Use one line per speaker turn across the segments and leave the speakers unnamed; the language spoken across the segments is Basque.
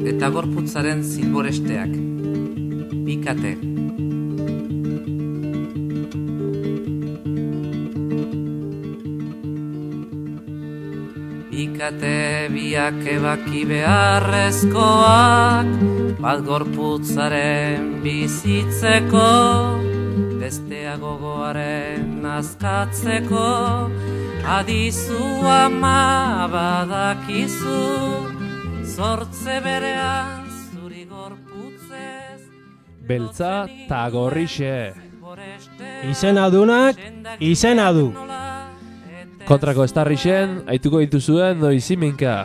eta gorputzaren zilboresteak. Bikate. Bikate biak ebaki beharrezkoak, bat gorputzaren bizitzeko, bestea gogoaren nazkatzeko, adizu ama badakizu, zortze berean zuri gorputzez.
Beltza ta gorrixe.
Izenadunak, izena du.
Kontrako estarrixen, aituko dituzuen noiziminka.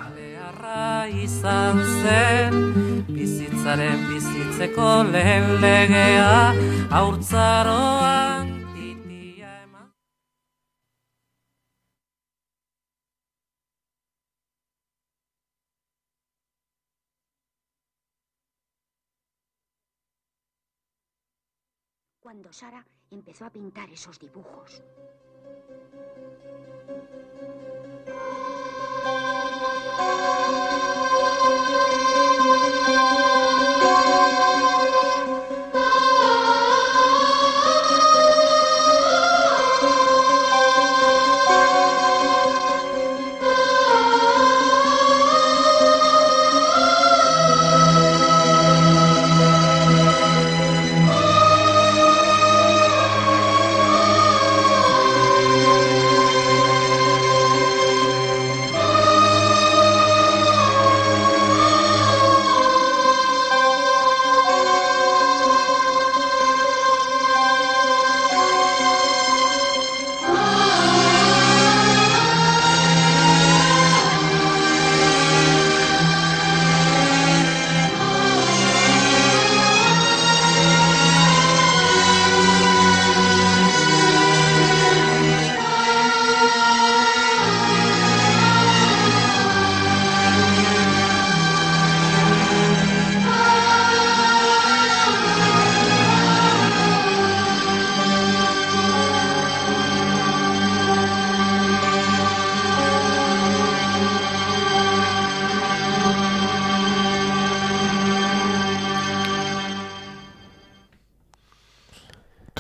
Izan zen, bizitzaren bizitzeko lehen legea, haurtzaroan titia eman.
Cuando Sara empezó a pintar esos dibujos.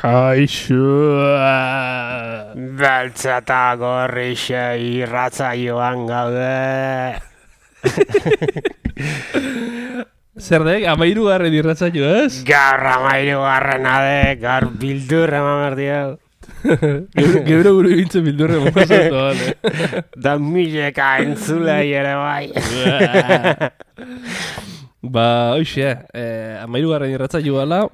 Kaixo, beltza eta gorrixe irratsaioan gaude.
Zer dek, 13. irratsaio, ez?
Gaur 13. Gaur bildur eman behar diau.
Geure buru bintzen bildurre mokazatu, bale.
Da mileka entzulei ere bai.
Ba, hoxe, 13. irratsaio gala.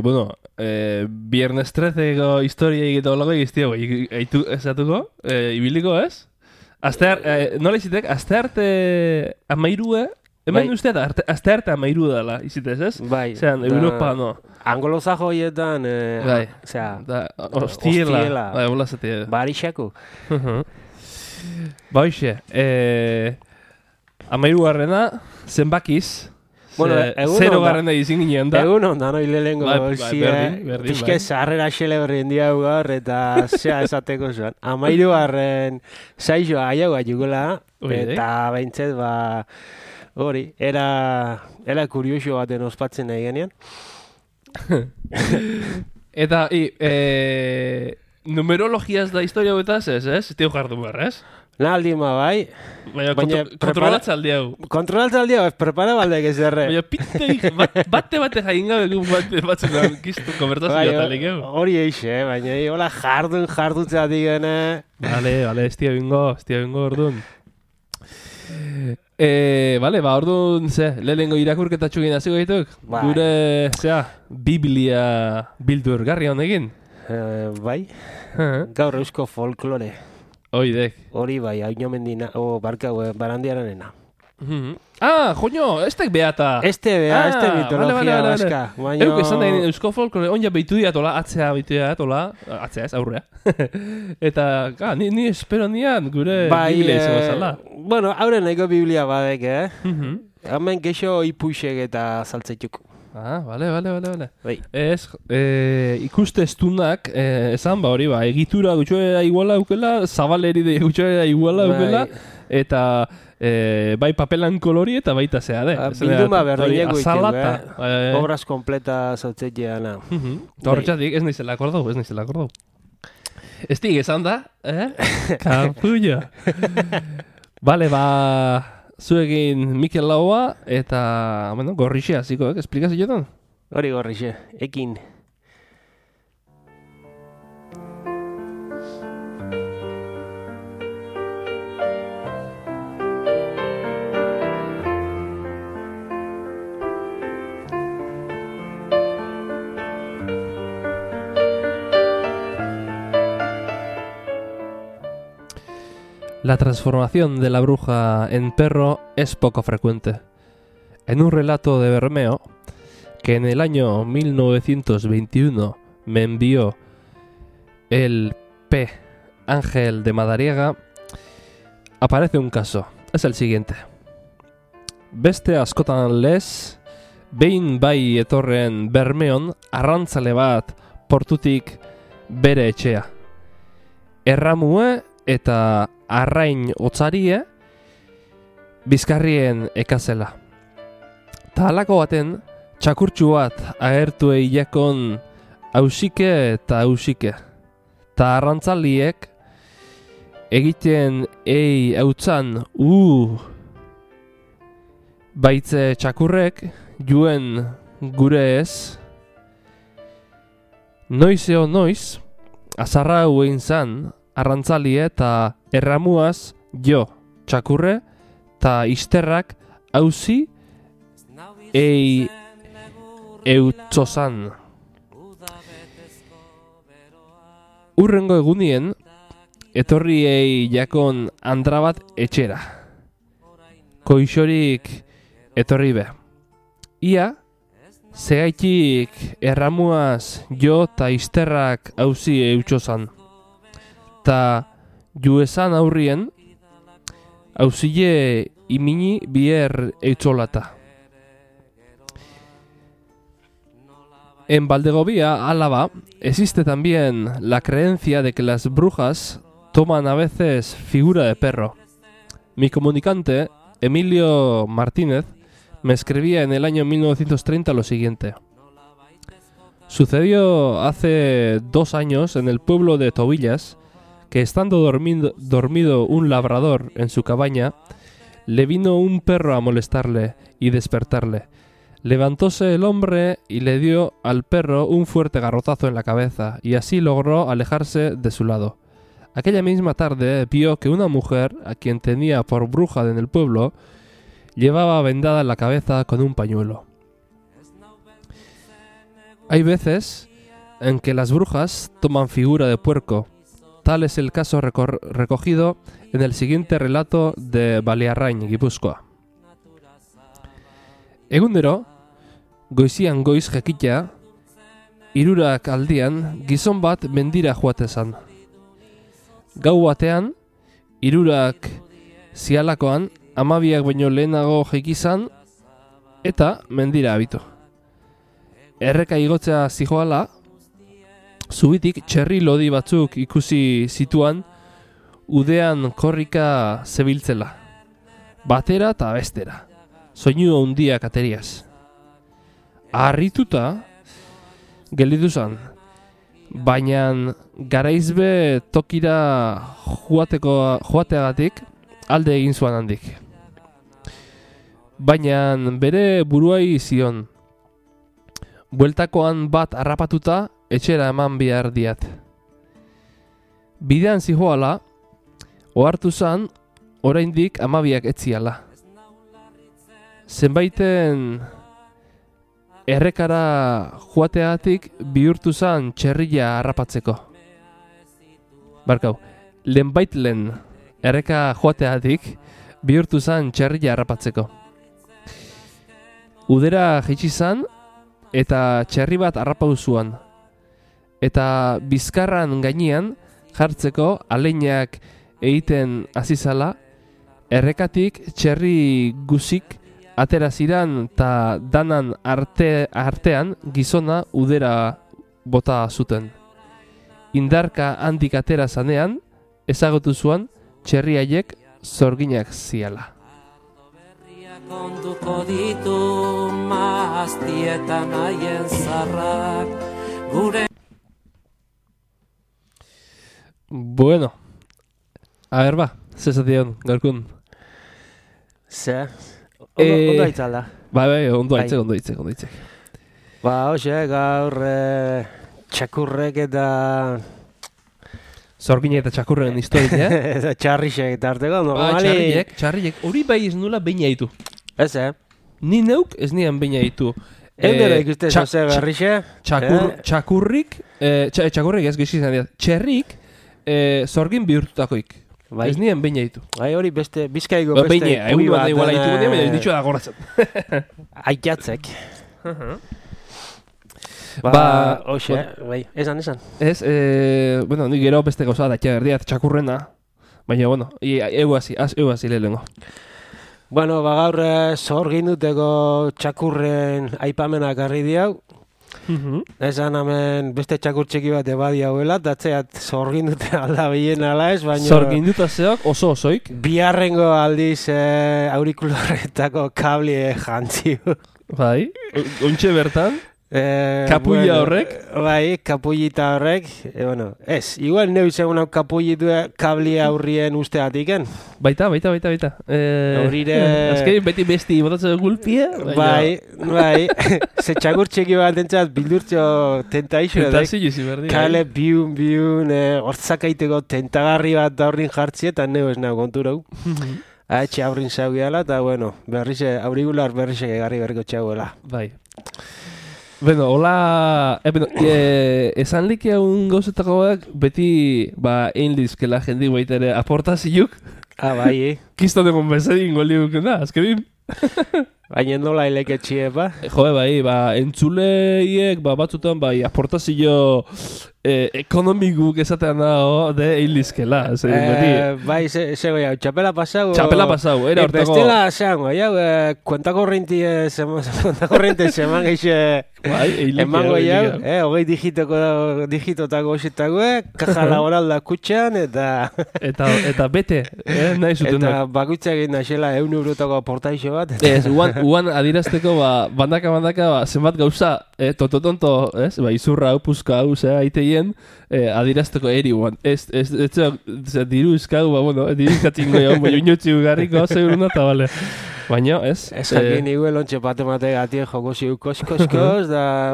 Bueno, Viernes 13ko historia egiten olago egiztiago, eitu esatuko, ibiliko ez? Nola izitek, aste arte 13, hemen uste da, aste arte 13 dela, izitez ez?
Bai.
Zeran, Europa, no.
Anglosajo hoietan, osea,
hostiela. Bai, hola zatea.
Barixako.
Ba, hoxe, 13. zenbakiz,
bueno,
0 izin ginen da.
Egun ondan hoi lehengo pixke zarrera xele horren diau gaur eta zea esateko zuen. 13. Saixoa aiagoa jugula eta behintzet hori, era kurioso baten ospatzen nahi genean.
Eta, numerologiaz da historia betaz ez? Tio jardu behar, ez?
Naldima bai.
Baina kontrolatza aldi hau.
Kontrolatza aldi hau, ez prepara baldek ez erre.
Baina pitteik, bate jain gabe batzen da giztu konbertazioa talik hau.
Hori eixe, baina hola jardutzea digene.
Vale, estia bingo orduan. Vale, ba, orduan, lehenengo irakurketatxo egin hasiko dituk? Gure, Biblia bildur garri honekin?
Bai, gaur eusko folklore. Hori bai, haino mendina, barkau, barandiaranena.
Joño, estek beata.
Este mitologia baska.
Euk esan da eusko folklore, onja behitu diatola, atzea ez, aurrea. Eta, ni espero nian gure Biblia izango zala.
Bueno, haure nahiko Biblia badek, Hemen keixo ipuixek eta saltzeituk.
Vale. Ez, ikustestunak, esan hori, egitura gutxoera iguala aukela, zabaleri de gutxoera iguala aukela, eta bai papelan kolori eta baita zea,
bilduma berdineko ditu, obras kompleta zautzetxeana.
Horretxatik, ez naizela akordau. Ez dik esan da, Kapullo. Bale, zuegin Mikel Laua eta, Gorrixe hasiko, esplikazioetan?
Hori Gorrixe, ekin.
La transformación de la bruja en perro es poco frecuente. En un relato de Bermeo, que en el año 1921 me envió el P. Ángel de Madariaga, aparece un caso. Es el siguiente. Beste askotan lez, behin bai etorren Bermeon arrantzale bat portutik bere etxea. Erramue eta arrain otzarie bizkarrien ekazela. Ta halako baten, txakurtxu bat agertu eiakon hausike eta hausike. Ta arrantzaliek egiten hautzan baitze txakurrek juen gure ez. Noizeo noiz, azarra huen zan arrantzalie eta erramuaz jo txakurre eta isterrak hauzi eutzozan. Urrengo egunien, etorri jakon andra bat etxera. Koixorik etorri be. Ia, zegaitik erramuaz jo eta isterrak hauzi eutzozan. Ta juezan aurrien, hauzile imini bier eitzolata. En Valdegovía, Álava, existe también la creencia de que las brujas toman a veces figura de perro. Mi comunicante, Emilio Martínez, me escribía en el año 1930 lo siguiente. Sucedió hace 2 años en el pueblo de Tobillas que estando dormido un labrador en su cabaña, le vino un perro a molestarle y despertarle. Levantóse el hombre y le dio al perro un fuerte garrotazo en la cabeza y así logró alejarse de su lado. Aquella misma tarde vio que una mujer, a quien tenía por bruja en el pueblo, llevaba vendada la cabeza con un pañuelo. Hay veces en que las brujas toman figura de puerco. Tal es el caso recogido en el siguiente relato de Baliarrain, Gipuzkoa. Egunero, goizian goiz jekitea, 3 aldian gizon bat mendira joatezan. Gau batean, 3 zialakoan, 12 baino lehenago jekizan eta mendira abitu. Erreka igotzea zijoala, zubitik txerri lodi batzuk ikusi zituan, udean korrika zebiltzela, batera eta bestera, soinu handiak ateriaz. Harrituta gelditu zan, baina garaizbe tokira joateagatik alde egin zuan handik. Baina bere buruai zion, bueltakoan bat harrapatuta etxera eman behar diat. Bidean zihoala, ohartu zan, oraindik 12 etziala. Zenbaiten errekara joateagatik bihurtu zan txerria harrapatzeko. Barkau, lehenbaitlen erreka joateagatik bihurtu zan txerria harrapatzeko. Udera jaitsi zan eta txerri bat harrapatu zuan. Eta bizkarran gainean jartzeko aleinak egiten hasi zala, errekatik txerri guzik atera ziran eta danan artean gizona udera bota zuten. Indarka handik atera zanean, ezagutu zuan txerri haiek zorginak ziala.
Konduko ditu maztietan haien zarrak gure.
Bueno, a ver, ba, zezation, gaurkun.
Ze, ondo aitzala.
Bai, ondo aitzek.
Ba, hoxe, gaur txakurrek eta...
Zorginek eta txakurren historia,
Eta txarrixek eta arteko, normali...
Txarriek, hori bai ez nula beina ditu.
Ez,
Ni neuk ez nian beina ditu.
Eundera ikuste zoze berrixe.
Txakurrik ez gizizan dira. Txerrik zorgin bihurtutakoik. Ez nian beina ditu.
Bai, hori beste, bizkaiko beste...
Beina, egun bat iguala ditu gune, baina ez ditu da goratzen.
Aitatzek. Hoxe, bai, esan.
Ez, bueno, ni gero beste gauza da txaberdiat txakurrena. Baina, bueno, egu hasi lehenengo.
Bueno, gaur zorgin duteko txakurren aipamenak harri diau. Esan hemen beste txakur txeki bat ebadi hauela, datzeat zorgin dute aldabien ala ez, baina...
Zorgin dut zeok osoik?
Biharrengo aldiz aurikularretako kablie jantziu.
Bai, ontxe bertan? Kapuilla horrek?
Bai, kapullita horrek. Bueno, ez, igual neu segun hau kapullitu kablia aurrien usteatiken.
Baita.
Horire...
Azkein beti besti botatzen gulpia.
Bai. Ze txakur txeki bat entzat bildurtxo tentaixo. Kale biun, hortzakaiteko tentagarri bat aurrin jartzi eta neu ez nago konturau. Etxe aurrin zaugiala eta, bueno, aurigular berrize gegarri berriko txaguela.
Bai. Bueno, hola... esan like un gauzetako bat, beti, egin dizkela jendi baita ere aportazioak.
Bai,
Kiston egon bezadin goliuk, azkerin.
Baina nola eleketxie,
bai, entzuleiek, batzutan, aportazio ekonomikuk esatean dago, egin dizkela.
Bai, zego jau, txapela pasau.
Era hortako...
Bestela, zeango, jau, kuentakorrenti seman geixe... Emango jau, hogei digitotako osetagoe, kaja laboral da kutxan, eta...
Eta bete, nahi zuten.
Eta bakuitzak egin naixela €1 aportaixo bat.
Ez, uan adirazteko, bandaka, zenbat gauza, tonto, ez, izurra hau, puzka hau, aiteien, adirazteko eri uan. Ez, diru izkagu, diru izkatingo jau, inutzi ugarriko, seguruna, eta bale. Baina, ez?
Ez jakin niguel ontxe pate gatien joko ziu koskoskoz, da,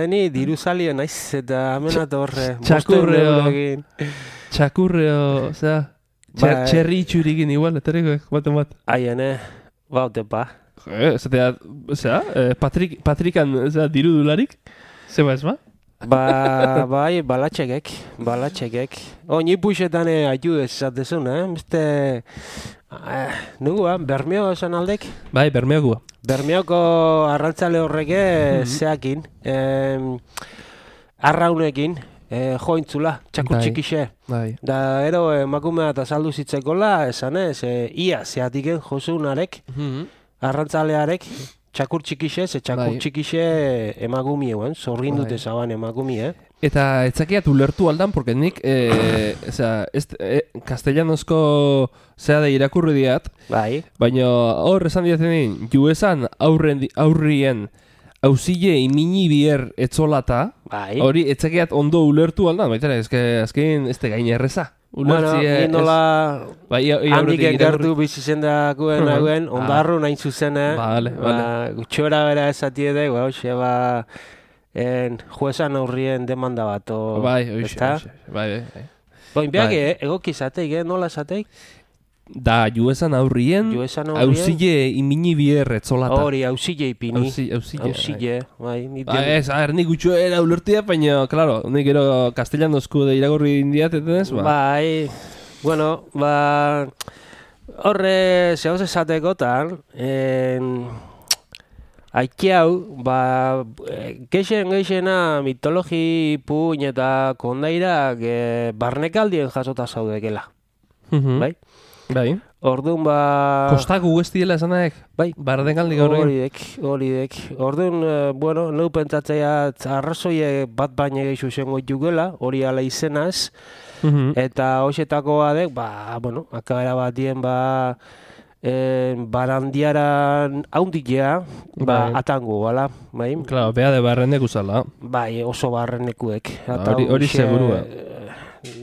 ni diru salien naiz, eta amenat horre.
Txakurreo, zera, txerri itxurikin igual, eterikoek, bat.
Aiene, bautepa.
Zera, Patrikan, diru dularik, zeba ez ba?
Bai, balatxekek. Ni puxetan aitu ez zatezun, beste... Nugua, Bermeo esan aldek?
Bai, Bermeokua.
Bermeoko arrantzale horreke zeakin, arraunekin, jointzula, txakur txikixe. Da, ero, emakumea eta saldu zitzekola, esan ez, ia zeatiken josunarek, arrantzalearek, txakur txikixe, txakur txikixe emagumieuen, zorrin dute zaban emagumie.
Eta etzakiat ulertu aldan, porque nik, kastellanozko zea da irakurri diat, baina hor esan diatzen juezan aurrien hauzile imini bier etzolata, hori etzakiat ondo ulertu aldan, baita azken ez da gain erreza.
Bueno, nindola handik gertu bizitzen dakuen hauen, ondarru nahin zuzene, gutxora bera esatie de, juezan aurrien demanda bat,
Bai.
Boinbeak egokizateik, nola esateik?
Da, juezan aurrien, hauzile imini bier etzolata.
Hori, hauzile ipini. Hauzile, bai.
Ez, nik gutxoera ulertia, baina, klaro, nik gero kastellanozko de iragorri indiat, etenez,
Bai, bueno, horre, zehoz esatekotan, haiki hau, geixena mitologi puin eta kondairak barnekaldien jasota zaudekela.
Bai?
Orduan,
Kostaku guztiela esanaek?
Bai.
Bardengaldik horrekin?
Horidek. Orduan, neu pentsatzea arrazoie bat baina geixu zengo jugela, hori ala izenaz, eta hoxetako badek, akabera batien, barandiaran haundikea, atango, bala, bai?
Claro, beha de barrenek usala.
Bai, oso barrenekuek.
Hori segurua.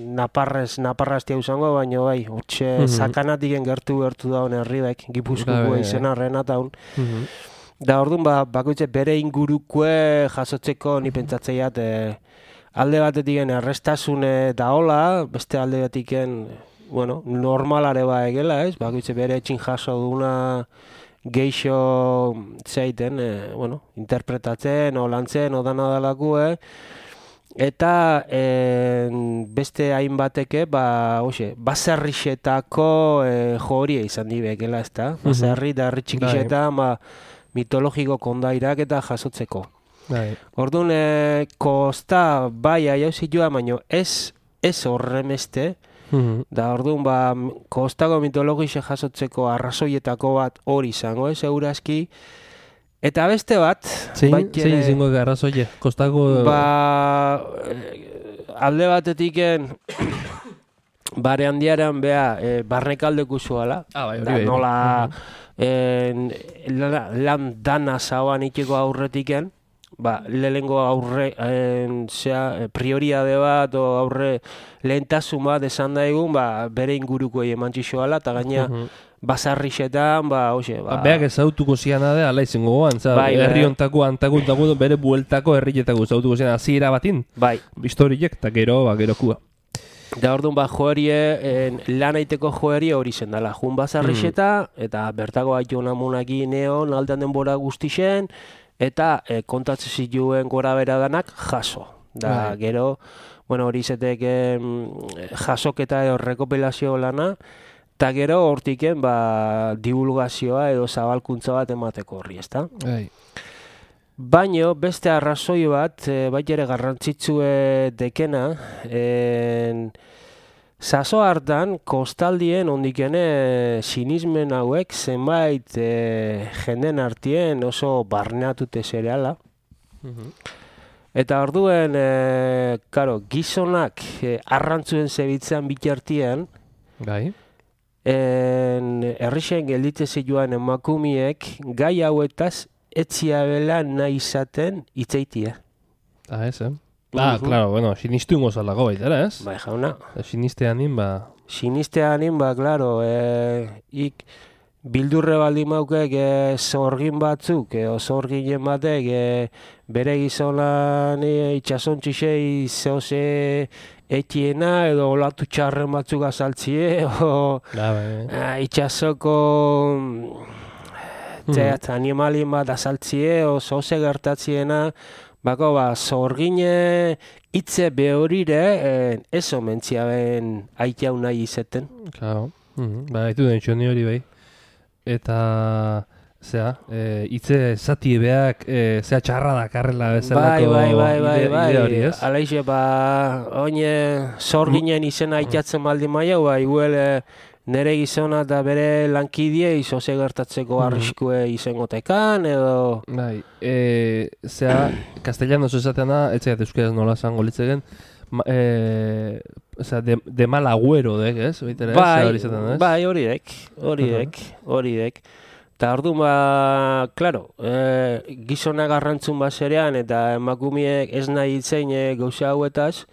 Naparraztia usango, baina bai, hortxe sakanatiken gertu daun herribek, Gipuzkoako izena Renataun. Da orduan, bakoitze bere ingurukue jasotzeko ni pentsatzeiat alde batetiken errestasune daola, beste alde batetiken, bueno, normalare egela, ez? Bakoitze bere etxin jaso duna geixo zeiten, bueno, interpretatzen, lantzen, odana dalakue, eta beste hainbateke, baserrixetako joria izan dibekela, ez da? Baserri da herri txikixetan, mitologiko kondairak eta jasotzeko. Orduan, kosta bai aiauzioa, baina ez horremeste, da orduan, kostako mitologixe jasotzeko arrazoietako bat hori izango, segurazki. Eta beste bat...
Zein izango arrazoie? Kostako...
alde batetiken... bare handiaran beha, barnekaldeku zuala.
Hori
nola... lan dana zauan itxeko aurretiken, lehenengo aurre prioriade bat o aurre lehentasun bat esan da egun, bere inguruko eman txixoala, eta gaina basarrixetan,
beak ezautuko ziana da, ala izango goan, herri ontako, antakuntako, bere bueltako herrietako ezautuko ziana, hasiera batin, historiek, eta gerokua.
Da orduan joerie, lan aiteko joerie hori zen dela, jun bazarrixeta, eta bertako haitu namunaki neon, aldean denbora guztixen, eta kontatzen zituen gora bera danak jaso. Da gero, hori izetek jasoketa edo rekopilazio lana, eta gero hortiken divulgazioa edo zabalkuntza bat emateko horri, ezta? Baina beste arrazoi bat, ere garrantzitsue dekena, zazo hartan, kostaldien ondikene sinismen hauek zenbait jenden artien oso barneatute zereala. Eta orduen, gizonak arrantzuen zebitzen bitartien, herrixen gelditze zituan emakumiek gai hauetaz etzia bela nahi izaten itzeitia.
Ez, claro, sinistu ingo zalago baita, ez?
Bai, jauna.
Sinisteanin,
Sinisteanin, claro, bildurre baldin maukek zorgin batzuk, zorginen batek, bere gizonan itxasontxixei zehoze etiena, edo olatu txarren batzuk azaltzie, itxasoko... animalien bat azaltzie, zoze gertatziena, zorgine hitze behorire, ez omentzia ben aitau nahi izeten.
Claro, haitu den txoni hori bai. Eta, hitze zati beak, txarra dakarrela bezalako ide hori, ez?
Alaixe, oine zorginen izena aitatzen baldin maia, iguel... Nere gizona eta bere lankidie izoze gertatzeko arriskue izengotekan, edo...
Castellano esaten da, etxegat euskaraz nola zango litzegen, de mal agüero, ez?
Bai, horiek. Eta orduan, klaro, gizona garrantzun baserean eta emakumiek ez nahi itzein gauza hauetaz,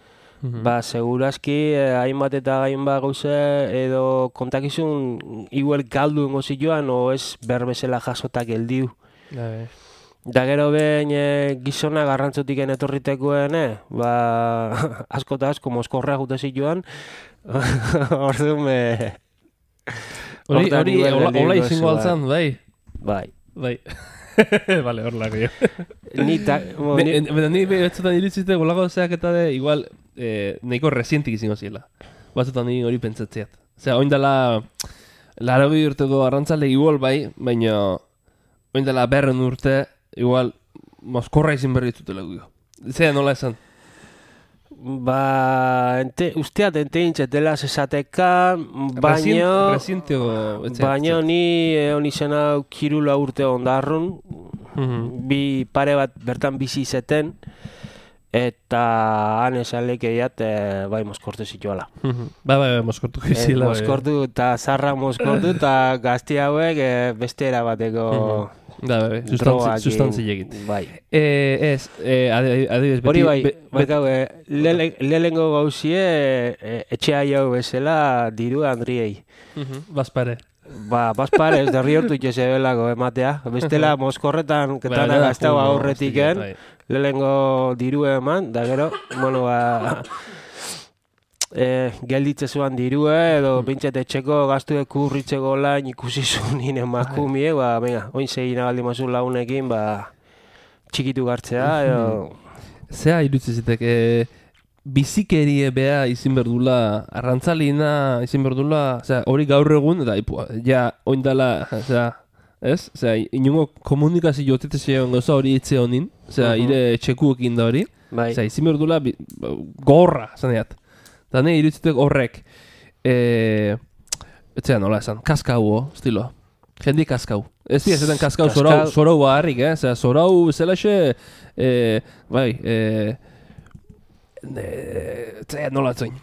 segurazki hainbat eta hainbat gauze edo kontakizun igual galdu ingo zituan o ez berbezela jasotak geldiu. Da gero behin gizona garrantzutik etorritekoen, asko eta asko mozkorra jute zituan, orduan
hori hola izango altzan, bai?
Bai.
Vale, hor lako jo. Ni betzutan iritzite golako zeak eta de, igual, nahiko resientik izango ziela. Batzutan ni hori pentsatzeat. Oindala, 80 urteko arrantzale igual bai, baina oindala 100 urte, igual, mozkorra izin berri ditutela guio. Zea nola esan?
Usteat enteintzatela zesateka, baina ni izena kirula urte ondarrun, bi pare bat bertan bizi izeten, eta han esan lekeiat, bai, moskortu zituala.
Bai, moskortu gizila.
Moskortu eta zarra moskortu eta gazti hauek beste erabateko
sustantzi egin.
Bai.
Adibidez, beti...
Hori bai, lehengo gauzie etxea jau bezala diru Andriei.
Bazpare.
Bazpare, ez derri hortu itxe zebelako ematea. Bestela moskorretan ketana gaztau aurretiken, lehengo diru eman, da gero, bueno, gelditze zuan dirue, edo bintzat etxeko gaztu ekurritzeko lan ikusi zuen emakumie, venga, oin segin abaldi mazun launekin, txikitu gartzea, edo...
Zea irutzi zitek, bizikerie beha izin berdula, arrantzalina izin berdula, hori gaur egun, eta ja oindala, ez? Inungo komunikazio jotetezioan gauza hori itze honin, ire txekuekin da hori, izin berdula gorra, zaneat. Eta nahi irutzitek horrek, etzea nola esan, kaskau, estilo. Jendi kaskau. Ez dira, zetan kaskau zorau baharrik, zorau zelaxe, nola atzoin.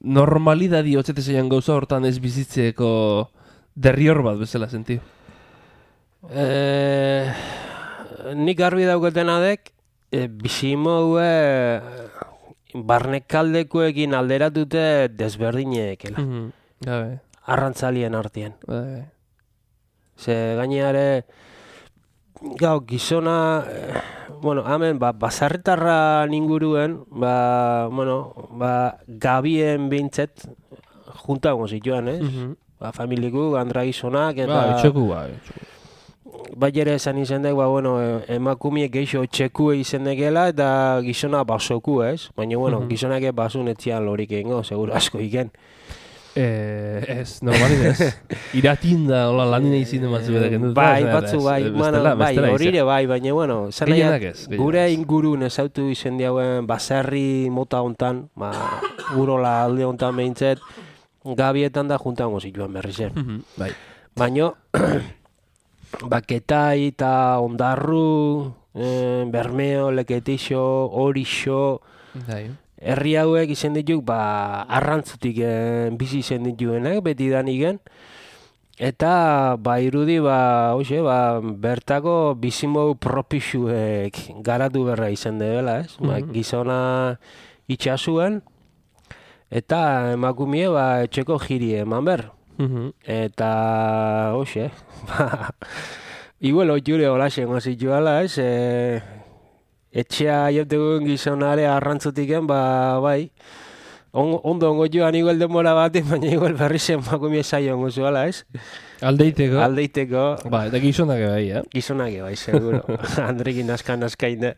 Normalidadi otzetezeian gauza hortan ez bizitzeko derrior bat bezala sentiu.
Nik garbi dauketenadek, bizimoue barnekaldekoekin alderatute desberdineekela. Arrantzalien artean. Ze gaineare, gizona, hemen, basarretarra ninguruen, gabien behintzet, juntago zituen, ez? Familiku, gandra gizonak, eta...
Etxeku,
Ere esan izendek, emakumiek geixo txekue izendekela, eta gizona basoku, ez? Baina, gizonak basun etzian lorik egingo, seguro asko iken.
Ez, normalidez. Iratinda, hola, lanina izin ematzu bedek.
Batzu, horire baina, gure ingurun ezautu izen diauen baserri mota hontan, urola alde hontan behintzet, gabietan da juntango zituen berriz. Baina, baketai eta ondarru, bermeo, leketixo, horixo, herri hauek izen dituk, arrantzutik bizi izen dituenak, beti daniken. Eta, irudi, bertako bizimou propixuek garatu berra izen dela, ez? Gizona itxasuen, eta emakumie, etxeko jiri eman ber. Eta, igual, jure holaxen gozituala, ez? Etxea jautegun gizonare arrantzutiken, ondo joan igual denbora batean, baina igual berri zen emakumie saio ongo zuela, ez?
Aldeiteko.
Eta
gizonak bai,
Gizonak bai, seguro. Andrekin naskain da.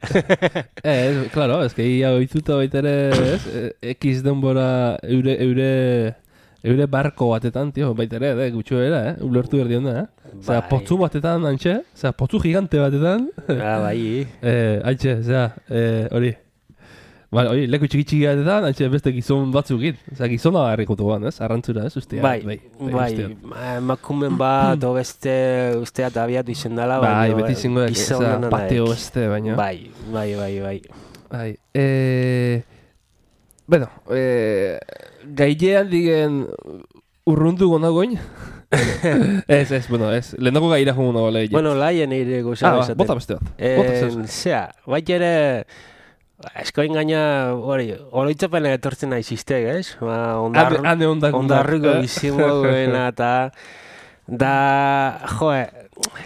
Claro, ez que ia oituta baitere, ez? Ekiz denbora eure barko batetan, tío, baitere, gutxo era, ulertu berdi onda, potzu batetan, antxe, potzu gigante batetan.
Bai.
Antxe, hori. Hori, leku txiki batetan, antxe beste gizon batzuk git. Gizona harrikotu ban, ez? Arrantzura, ez? Ustea.
Bai. Makumen bat, o beste, ustea eta abiatu izen dela.
Bai, beti zingo pateo beste, baina.
Bai.
Bueno, gailean digen urrundu gonagoin? Ez, lehendako gaira jongo nago lehi.
Laien eire gozera esaten.
Bota beste bat.
Ere, eskoin gaina, oroitzapen etortzen nahi ziztek, ez? Ondarruko bizimoguena eta...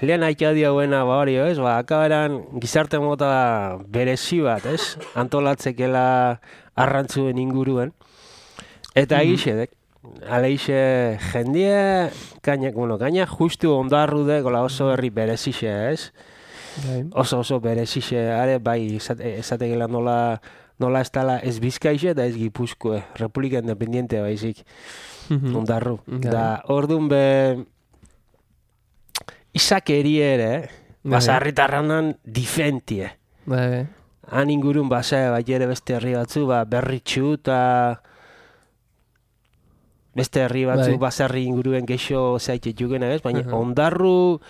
lehen aitea dioguena, ez? Akaberan gizarte mota berezi bat, ez? Antolatzekela arrantzuen inguruen. Eta egixedek, aleixe jendie, gaina justu ondarru dek, oso herri berezixe, ez? Oso berezixe, esategela nola ez tala ez Bizkaixe eta ez Gipuzkoe, Republika Independiente baizik, ondarru. Da, orduan izakeri ere, basarritarranan difentie. Han ingurun ere beste herri batzu, berritxu eta beste herri batzu basarri inguruen geixo zaitxe jugena ez, baina ondarru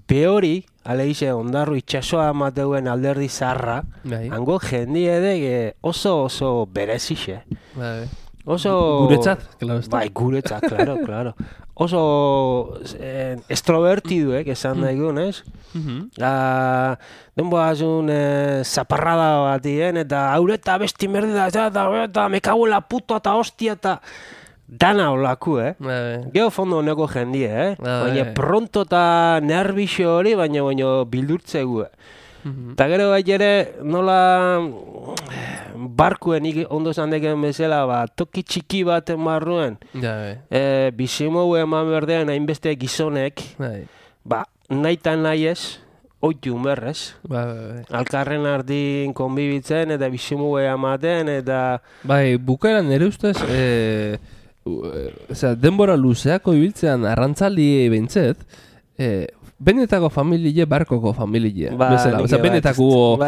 behori, aleize ondarru itxasoa amateuen alderdi zarra, hango jendi edek oso berezixe. Oso...
Guretzat, klaro.
Bai, guretzat, klaro. Oso extrovertidu, esan daigun, ez? Denboazun zaparrada batien, eta haureta besti merdida, eta me cago en la puta, eta hostia, eta... Dana olaku, Geo fondo honeko jendie, Baina pronto eta nervixo hori, baina bildurtzegu, Eta gero ere, nola barkuen ondo zandeken bezala, toki txiki baten barruen, bizimogu eman berdean hainbeste gizonek, nahi eta nahi ez, oitu berrez. Alkarren ardin konbibitzen eta bizimogu ematen, eta...
Bai, bukaeran ere ustez, denbora luzeako ibiltzean arrantzali behintzet, benetako familie, barkoko familie. Benetako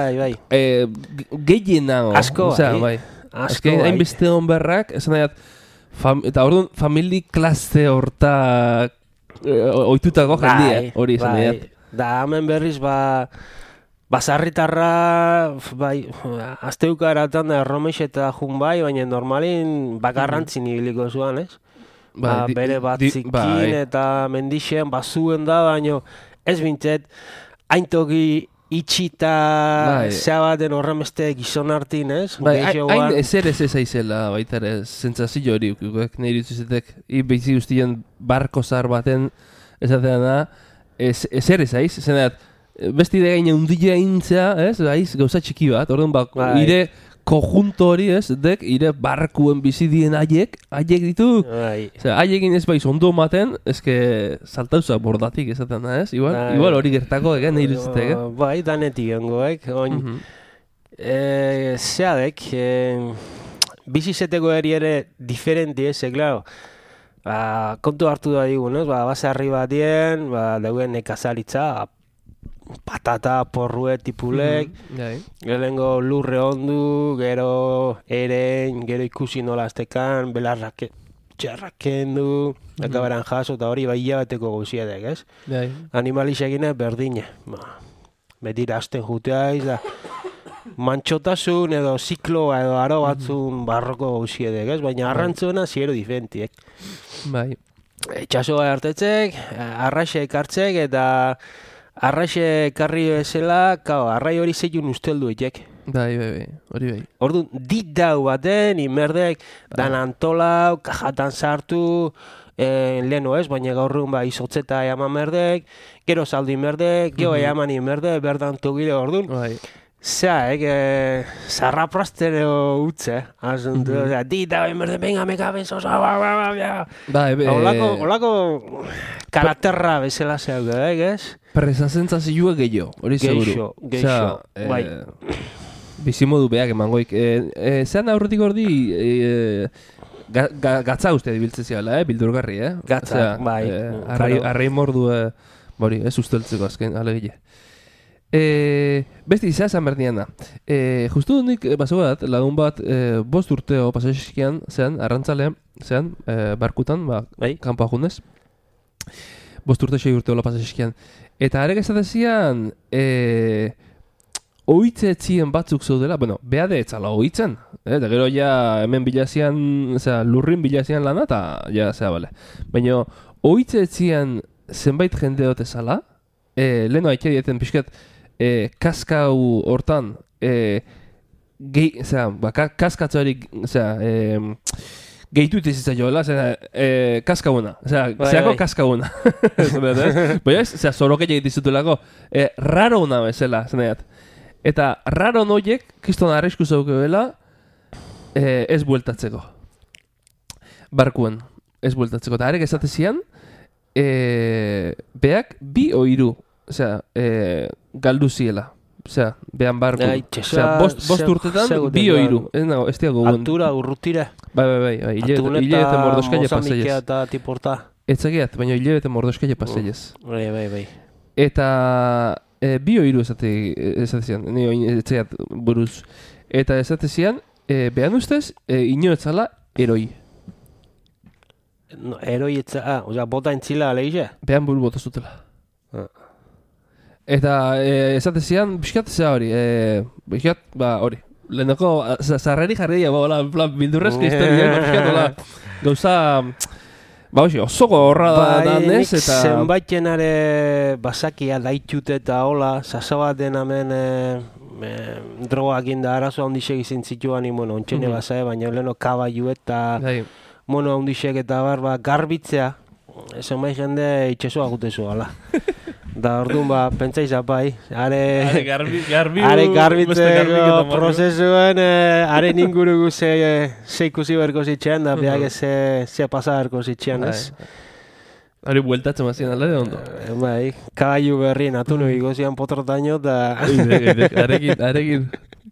gehiena.
Asko,
bai. Azken, hainbeste honberrak, esan nahiat, eta orduan, famili klase horta oitutako jendie, hori esan nahiat.
Da, hemen berriz, basarritarra, azteuka eratan da erromex eta jun baina normalin bakarrantzin ibiliko zuan, ez? Bere batzikin eta mendixen bazuen da, baina ez bintzet, haintoki itxita zea baten horremeste gizon hartin, ez?
Hain ezer ez aizela, baita ere, zentzazio hori, nahi dutzuzetek, behizi guztien barko zar baten ezatea da, ezer ez aiz, zeneat, besti de gaine undile aintzea, ez? Aiz, gauza txiki bat, orduan ire konjunto hori, ez? Dek, ire barkuen bizidien haiek ditu. Haiekin ez baiz ondo maten, ezke saltauza bordatik ezaten da, ez? Igual hori gertako egen, nahi dutzetek,
Bai, danetik ongoek. Zeadek, bizizeteko eri diferenti, ez? Klaro, kontu hartu da digun, ez? Basarri batien, dauen nekazaritza, patata, porrue, tipulek, gelengo lurre ondu, gero eren, gero ikusi nola aztekan, belarrak txarraken du, akaberan jaso, eta hori bai hilabeteko gauziedek, ez? Animalixekin berdine, betira azten juteaiz, da mantxotasun edo zikloa edo aro batzun barroko gauziedek, ez? Baina arrantzuena ziero diferentiek. Itxasoa hartetzek, arraxe ekartzek, eta arraxe karri bezala, arrai hori zeiun usteldu etek.
Bai, hori bai.
Orduan, dit dau baten, inberdek, dan antolau, kajatan sartu, leheno ez, baina gaurrun izotzeta eaman merdek, gero saldu inberdek, gero eaman inberdek, berdan togile orduan. Zea, zarraprastero utze, asuntu, dit dau inberdek, venga, me cabezo, Olako karaterra bezala zeuk, ez?
Presazentzazioa gehiago, hori seguru.
Geixo, bai.
Bizimodu beak emangoik. Zean aurretik ordi, gatza uste dibiltzezioala, bildurgarri,
Gatza, bai.
Arrei mordu, bori, ez usteltzeko azken, alegile. Besti, zea zan berdian da. Justu nik, basogat, lagun bat, 5 urteo pasaxikian, zean, arrantzalean, zean, barkutan, kanpoa jundez. 5 urte 6 urteo pasaxikian. Eta arek ezatezian, oitze etzien batzuk zaudela, behade etzala oitzen, eta gero ja hemen bilazian, lurrin bilazian lana, eta ja, bale. Baina, oitze etzien zenbait jende ezala, leheno haike dieten pixket, kaskau hortan, kaskatzoari, gehitu itizitza joela, kaskauna. Zeako kaskauna. Baina ez, zoroke egitizutulako, raro una bezala, zenaiat. Eta raro noiek, kriston arrisku zauke bela, ez bueltatzeko. Barkuen, ez bueltatzeko. Eta arek ezatezian, beak 2 o 3, galdu ziela. Behan barku. 5 urtetan, 2 o 3. Ez diago guen.
Altura, urrutira.
Bai. Hilebete mordoskaile paseiez.
Atuneta eta tiporta.
Etzagiat, baina hilebete mordoskaile paseiez.
Bai.
Eta 2 o 3 ezatezian. Etzagiat buruz. Eta ezatezian, behan ustez, inoetzala eroi.
Eroi etzala, bota entzila aleize?
Behan buru bota zutela. Eta esate zian, pixkat zea hori, hori. Lehenoko, zarreri jarri dira, bildurrezko historia, pixkat, gauza... oso gorra da nez, eta...
Zenbaiten are basakia daitxut eta hola, sasabaten hemen drogak inda arazoa ondixek izin zituan, ontxene basae, baina leheno kabaiu eta mono ondixek eta garbitzea, zenbait jende itxesua gutezu, ala. Da orduan pentsaiza bai, are garbitzeko prozesuen, haren ingurugu ze ikusi berko zitxean, da behak ze pasa berko zitxean, ez?
Hori bueltatzen mazien alde ondo.
Bai, kabaiu berri natu nubi gozian potrotaino, da...
Arekin,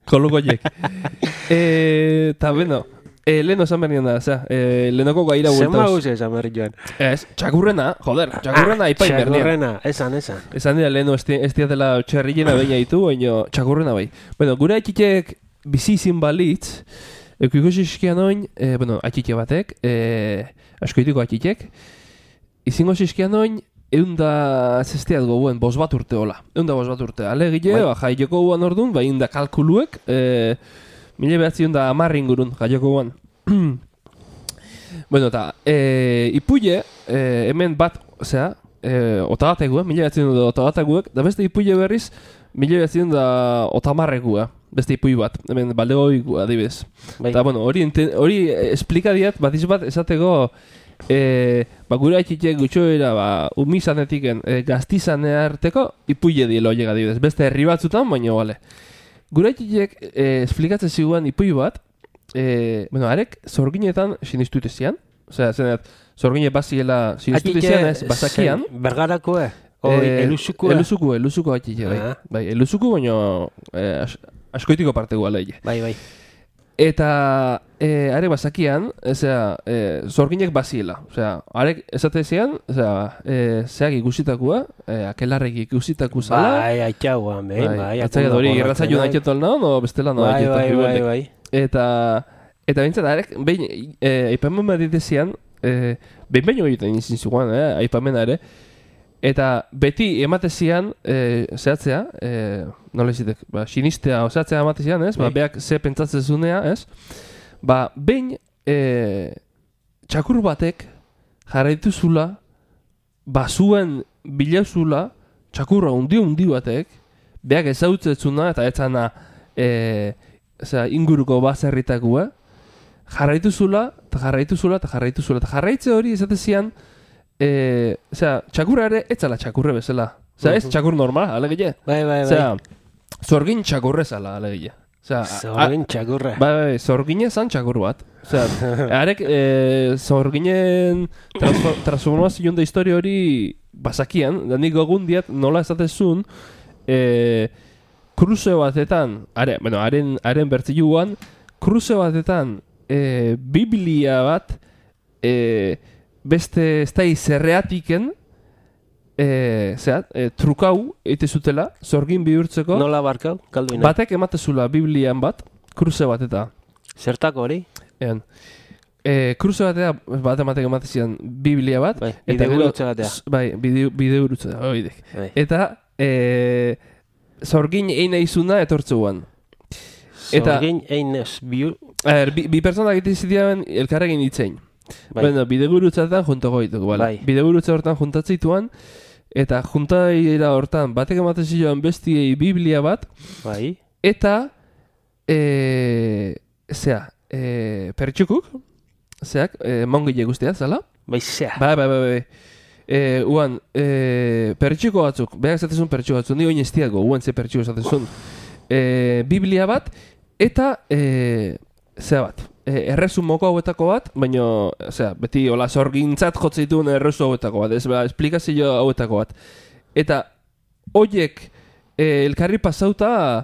kolukoiek. Eta, bueno... Leheno esan bernian da, lehenoko gaira bueltauz.
Zenba guzti esan berri joan?
Ez, txakurrena, txakurrena aipain bernian.
Txakurrena, esan.
Esan dira leheno ez diatela txerrilena baina ditu, baina txakurrena bai. Bueno, gure atxitek bizi izin balitz, ikusi iskian oin, atxite batek, askoitiko atxitek, izingo iskian oin, eunda zesteat gobuen, 5 bat urte hola. Eunda 5 bat urte. Alegile, jaioko guan orduan, eunda kalkuluek, 1910 ingurun, jaioko guan. Bueno, eta, ipuile, hemen bat, otagateguek, 1910 da beste ipuile berriz, 1910 beste ipui bat, hemen baldegoik adibidez. Eta, bueno, hori esplikadiat, bat izbat, esateko, gure haitxitek gutxoera, umizanetiken, gaztizanea arteko, ipuile dielo llega adibidez. Beste herri batzutan, baina bale. Gure haitxitek esplikatzen ziguan ipui bat, arek zorginetan sinistuite zian. Osea, zenet, zorgine baziela sinistuite zian ez, bazakian.
Bergarako, elusukua?
Elusuko haitxitek, bai. Bai, elusuko, baina askoitiko partegu aleie.
Bai.
Eta arek bazakian, zorginek baziela. Osea, arek esate zian, zeak ikusitakua, akelarrek ikusitaku zala.
Bai, aitxauan, bai.
Atzaiat hori, irratzaiun aitxetu alna, no bestela no aitxetu.
Bai.
Eta bintzat, arek, behin, aipamen bat ditezian, behin egiten izin zuguan, aipamena ere, eta beti ematezian, zehatzea, nola izitek, sinistea zehatzea ematezian, ez? Beak ze pentsatzen zunea, ez? Behin, txakur batek jarraitu zula, zuen bilauzula, txakurra undi batek, beak ezautzezuna eta etzana inguruko bazerritakua, jarraitu zula, eta jarraitze hori ezatezian, txakurra ere, etzala txakurre bezala. Ez txakur normal, alegile.
Bai.
Zorgin txakurre zala, alegile.
Zorgin txakurre.
Bai, zorgine zan txakur bat. Arek, zorginen transformazion da historia hori bazakian, da nik gogun diat nola ezatezun, kruze batetan, haren bertziluan, kruze batetan Biblia bat, beste ez da izerreatiken, trukau eite zutela, zorgin bihurtzeko.
Nola barkau, kalduina?
Batek ematezula Biblian bat, kruze bat eta.
Zertako hori?
Kruze bat ematek ematezian Biblia bat.
Bai, bidegurutze batea.
Bai, bidegurutze da, eta zorgin eine izuna etortzuan.
Zorgin einez
bi personak egiten zitean elkarrekin itzein. Bueno, bidegurutzetan juntako ditugu, bale? Bidegurutze hortan juntatzeituan, eta juntaira hortan batek ematen ziloan bestiei Biblia bat, eta pertsukuk, mongile guztiak, zala?
Bai, zea.
Bai. Uan, pertsuko batzuk, behar zatezun pertsuko batzuk, ni oin ez diago, uan ze pertsuko zatezun. Biblia bat, eta zea bat. Errezu moko hauetako bat, baina, beti hola zorgintzat jotzeituen errezu hauetako bat, esplikazio hauetako bat. Eta, hoiek elkarri pasauta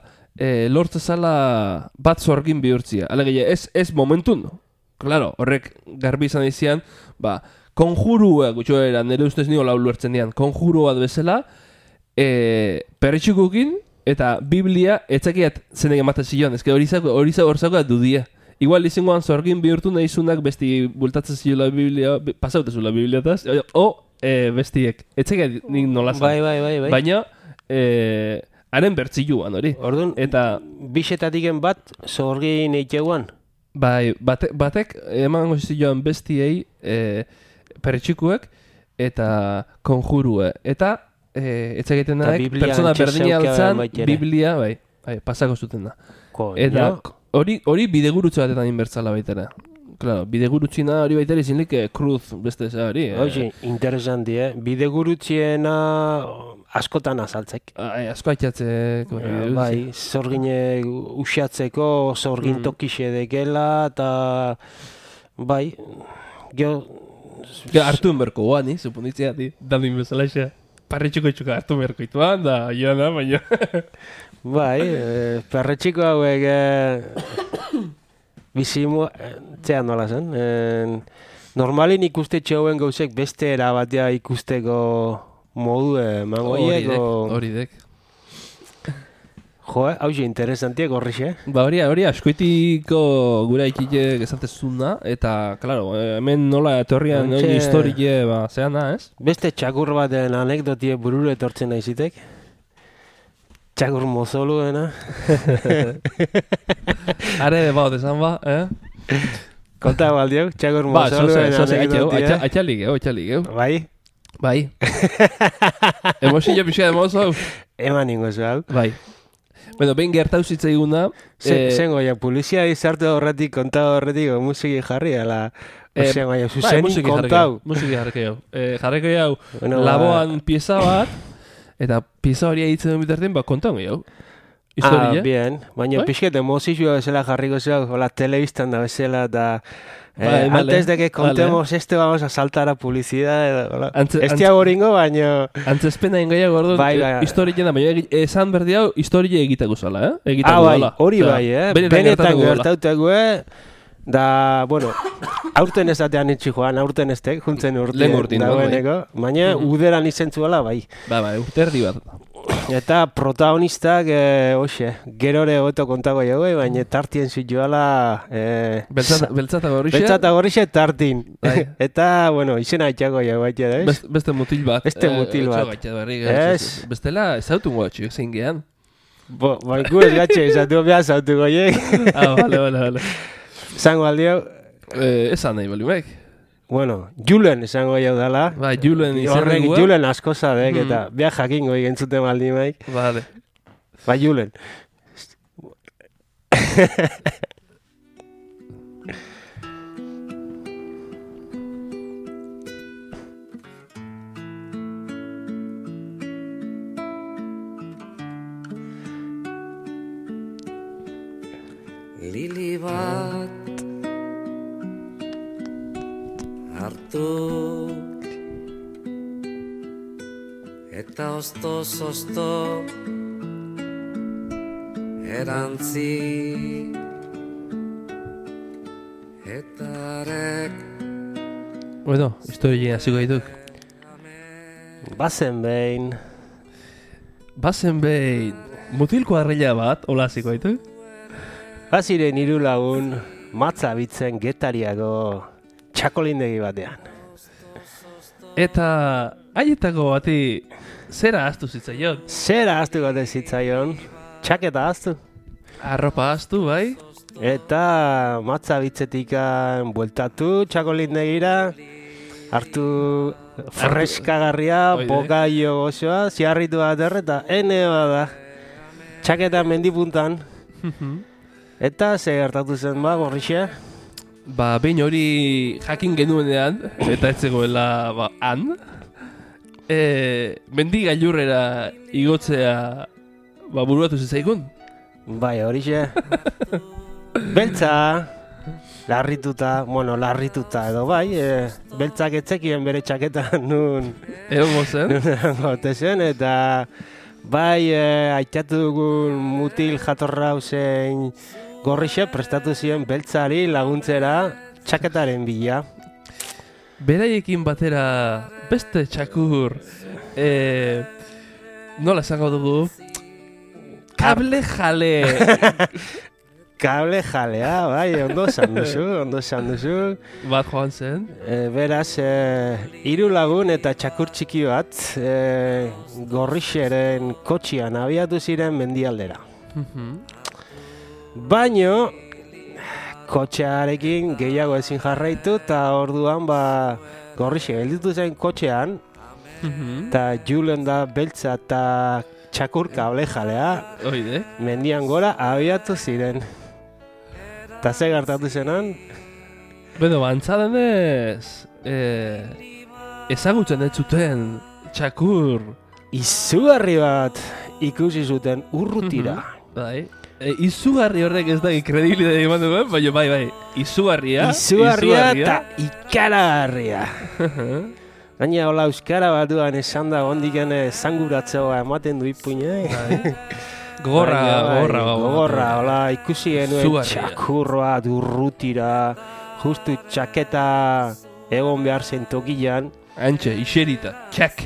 lortzezala bat zorgin bihurtzia. Alegia, ez momentun, claro, horrek garbi izan izian, konjurua gutxoera, nire ustez nio lau luertzen dian, konjuru bat bezala, perretxukukin, eta Biblia etzakiat zenek ematen zion, ezke hori zako dudia. Igual izangoan zorgin bihurtu nahizunak besti bultatzen ziola Biblia, pasautezula Bibliataz, bestiek, etzakiat nik nolazan.
Bai.
Baina, haren bertziluan hori.
Orduan, eta bixetatiken bat, zorgin eiteguan?
Bai, batek emango zizioan bestiei perretxikuek eta konjurue. Eta etzaketen daek, persona berdina altzan, Biblia, bai, pasako zuten da. Eta hori bidegurutze batetan inbertzala baitera. Claro, bidegurutziena hori baitera izinlik kruz beste hori.
Hoxe, interesanti, bidegurutziena askotan azaltzek.
Asko aitzatzek.
Bai, zorgine usiatzeko, zorgin tokixe dekela, eta bai,
hartu enberko guan, suponitzea, dandin bezala isa. Parretxiko itxuka hartu enberko ituan, da, joan baina.
Bai, parretxiko hauek bizimu, txean nola zen. Normalin ikuste txauen gauzek beste erabatea ikusteko modu mangoiek.
Horidek.
Jo, hauze, interesantiek horrixe.
Ba hori askoitiko gura ikitek esatezuna, eta, klaro, hemen nola etorrian historie, zean da, ez?
Beste txakur baten anekdotie bururu etortzen naizitek. Txakur mozoluena.
Are, esan ba,
Konta baldiok, txakur mozoluena anekdotia.
Atxalik,
Bai?
Bai. Emosillo pixka de mozo.
Eman ingozu hau.
Bai. Bueno, behin gertau zitzaiguna.
Zengo, polizia izarte horretik, konta horretik, musiki jarri, ala... Zuzenin kontau.
Musiki jarriko jau. Jarriko jau, laboan pieza bat, eta pieza hori egiten bitartien, konta hongi jau. Historia.
Bien. Baina pixket emozizua bezala jarriko zau, hola, telebistan da bezala, eta... antes de que contemos vamos a saltar a publicidad. Este aboringo, baina...
Antzespena ingoia gordo, historien da, baina esan berdi hau, historie egiteko zala,
bai, hori bai, benetan gertautek, da, bueno, aurten ezatean itxi joan, aurten estek, juntzen urtien dagoeneko, baina uderan izentzuela, bai.
Bai, urte erdi bat.
Eta protagonistak, gerore goto kontago jau, baina tartien zituala...
Beltzata
gorrixe tartin. Eta, bueno, izena itxago jau baita, da, ez?
Beste mutil bat. Bestela, ezautu guatxu, zein gehan.
Bai, gu ez gatxe, ezautu behar zautu goiek.
Vale.
Zango aldio...
Esan nahi balimek.
Bueno, Julen esango jau dala.
Bai, Julen izango.
Julen asko zadek, eta behar jakingo igentzuten baldi maik.
Vale.
Bai, Julen.
Lili bat hartu eta oztoz erantzi eta arek.
Bueno, historia hasiko dituk.
Bazen behin
mutil kuadrilla bat, hola hasiko dituk.
Baziren 3 lagun matza bitzen Getariako txakolindegi batean.
Eta haietako bati zera ahaztu zitzaion?
Zera ahaztu gate zitzaion, txaketa ahaztu.
Arropa ahaztu, bai?
Eta matza bitzetikan bueltatu txakolindegira, hartu freskagarria, bokaio gozoa, ziarritu bat erreta, ene bada, txaketa mendipuntan. Eta ze gertatu zen gorrixe?
Behin hori jakin genuenean, eta etzegoela han, mendi gailurrera igotzea buruatu zitzaikun.
Bai, horixe. Beltza, larrituta edo bai, beltzak etzekien bere txaketan nun.
Egon zen?
Gote zen, eta bai, aitatu dugun mutil jatorra zein gorrixe prestatu ziren beltzari laguntzera txaketaren bila.
Beraiekin batera beste txakur, nola esango dugu, kable jale
Kable jalea, bai, ondo esan duzu.
Bat joan zen?
Beraz, 3 lagun eta txakur txiki bat Gorrixeren kotxian abiatu ziren mendialdera. Baino, kotxearekin gehiago ezin jarraitu eta orduan Gorrixe gelditu zen kotxean eta Julen da beltza eta txakur kable jalea mendian gora abiatu ziren. Eta ze gertatu zenan?
Beno, antzaden ez ezagutzen ez zuten txakur
izugarri bat ikusi zuten urrutira.
Bai. Izugarri horrek ez da kredibilitatea eman duen, baina bai, izugarria
eta ikaragarria. Gaina hola euskara batuan esan da ondiken zanguratzeoa ematen du ipuine. Gogorra, hola ikusi genuen txakurroa urrutira, justu txaketa egon behar zen tokian.
Antxe, iserita, txak.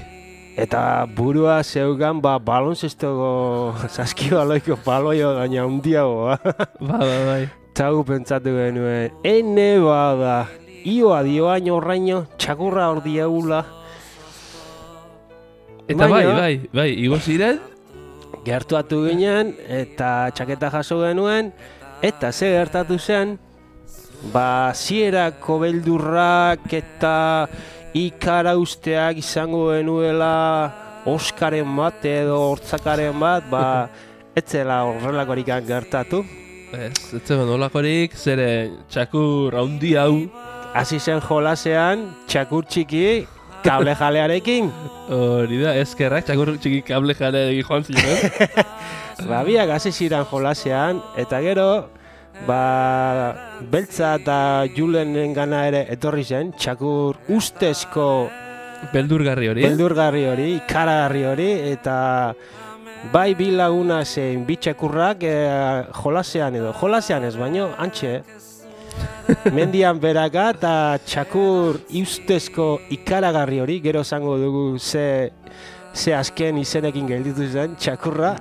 Eta burua zeugan balonzestoko saskibaloiko baloio gaina hundiago.
Bai.
Eta gu pentsatu genuen, ene bada, ioa dioain horraino, txakurra hor diagula.
Eta bai, igo ziren?
Gertuatu ginen, eta txaketa jaso genuen, eta ze gertatu zen, zierako beldurrak eta ikara usteak izango genuela Oskaren bat edo hortzakaren bat, etzela horrelakorik gertatu.
Ez zen horrelakorik, zere txakur haundi hau.
Hasi zen jolasean, txakur txiki, kable jalearekin.
Hori da, eskerrak, txakur txiki kable jalearekin joan ziren.
Biak hasi ziren jolasean, eta gero, beltza eta Julenen gana ere etorri zen, txakur ustezko
beldurgarri hori,
ikaragarri hori, eta bai bi laguna zein bi txakurrak jolasean ez baino, antxe, mendian beraka eta txakur ustezko ikaragarri hori, gero zango dugu ze azken izenekin gelditu zen, txakurra.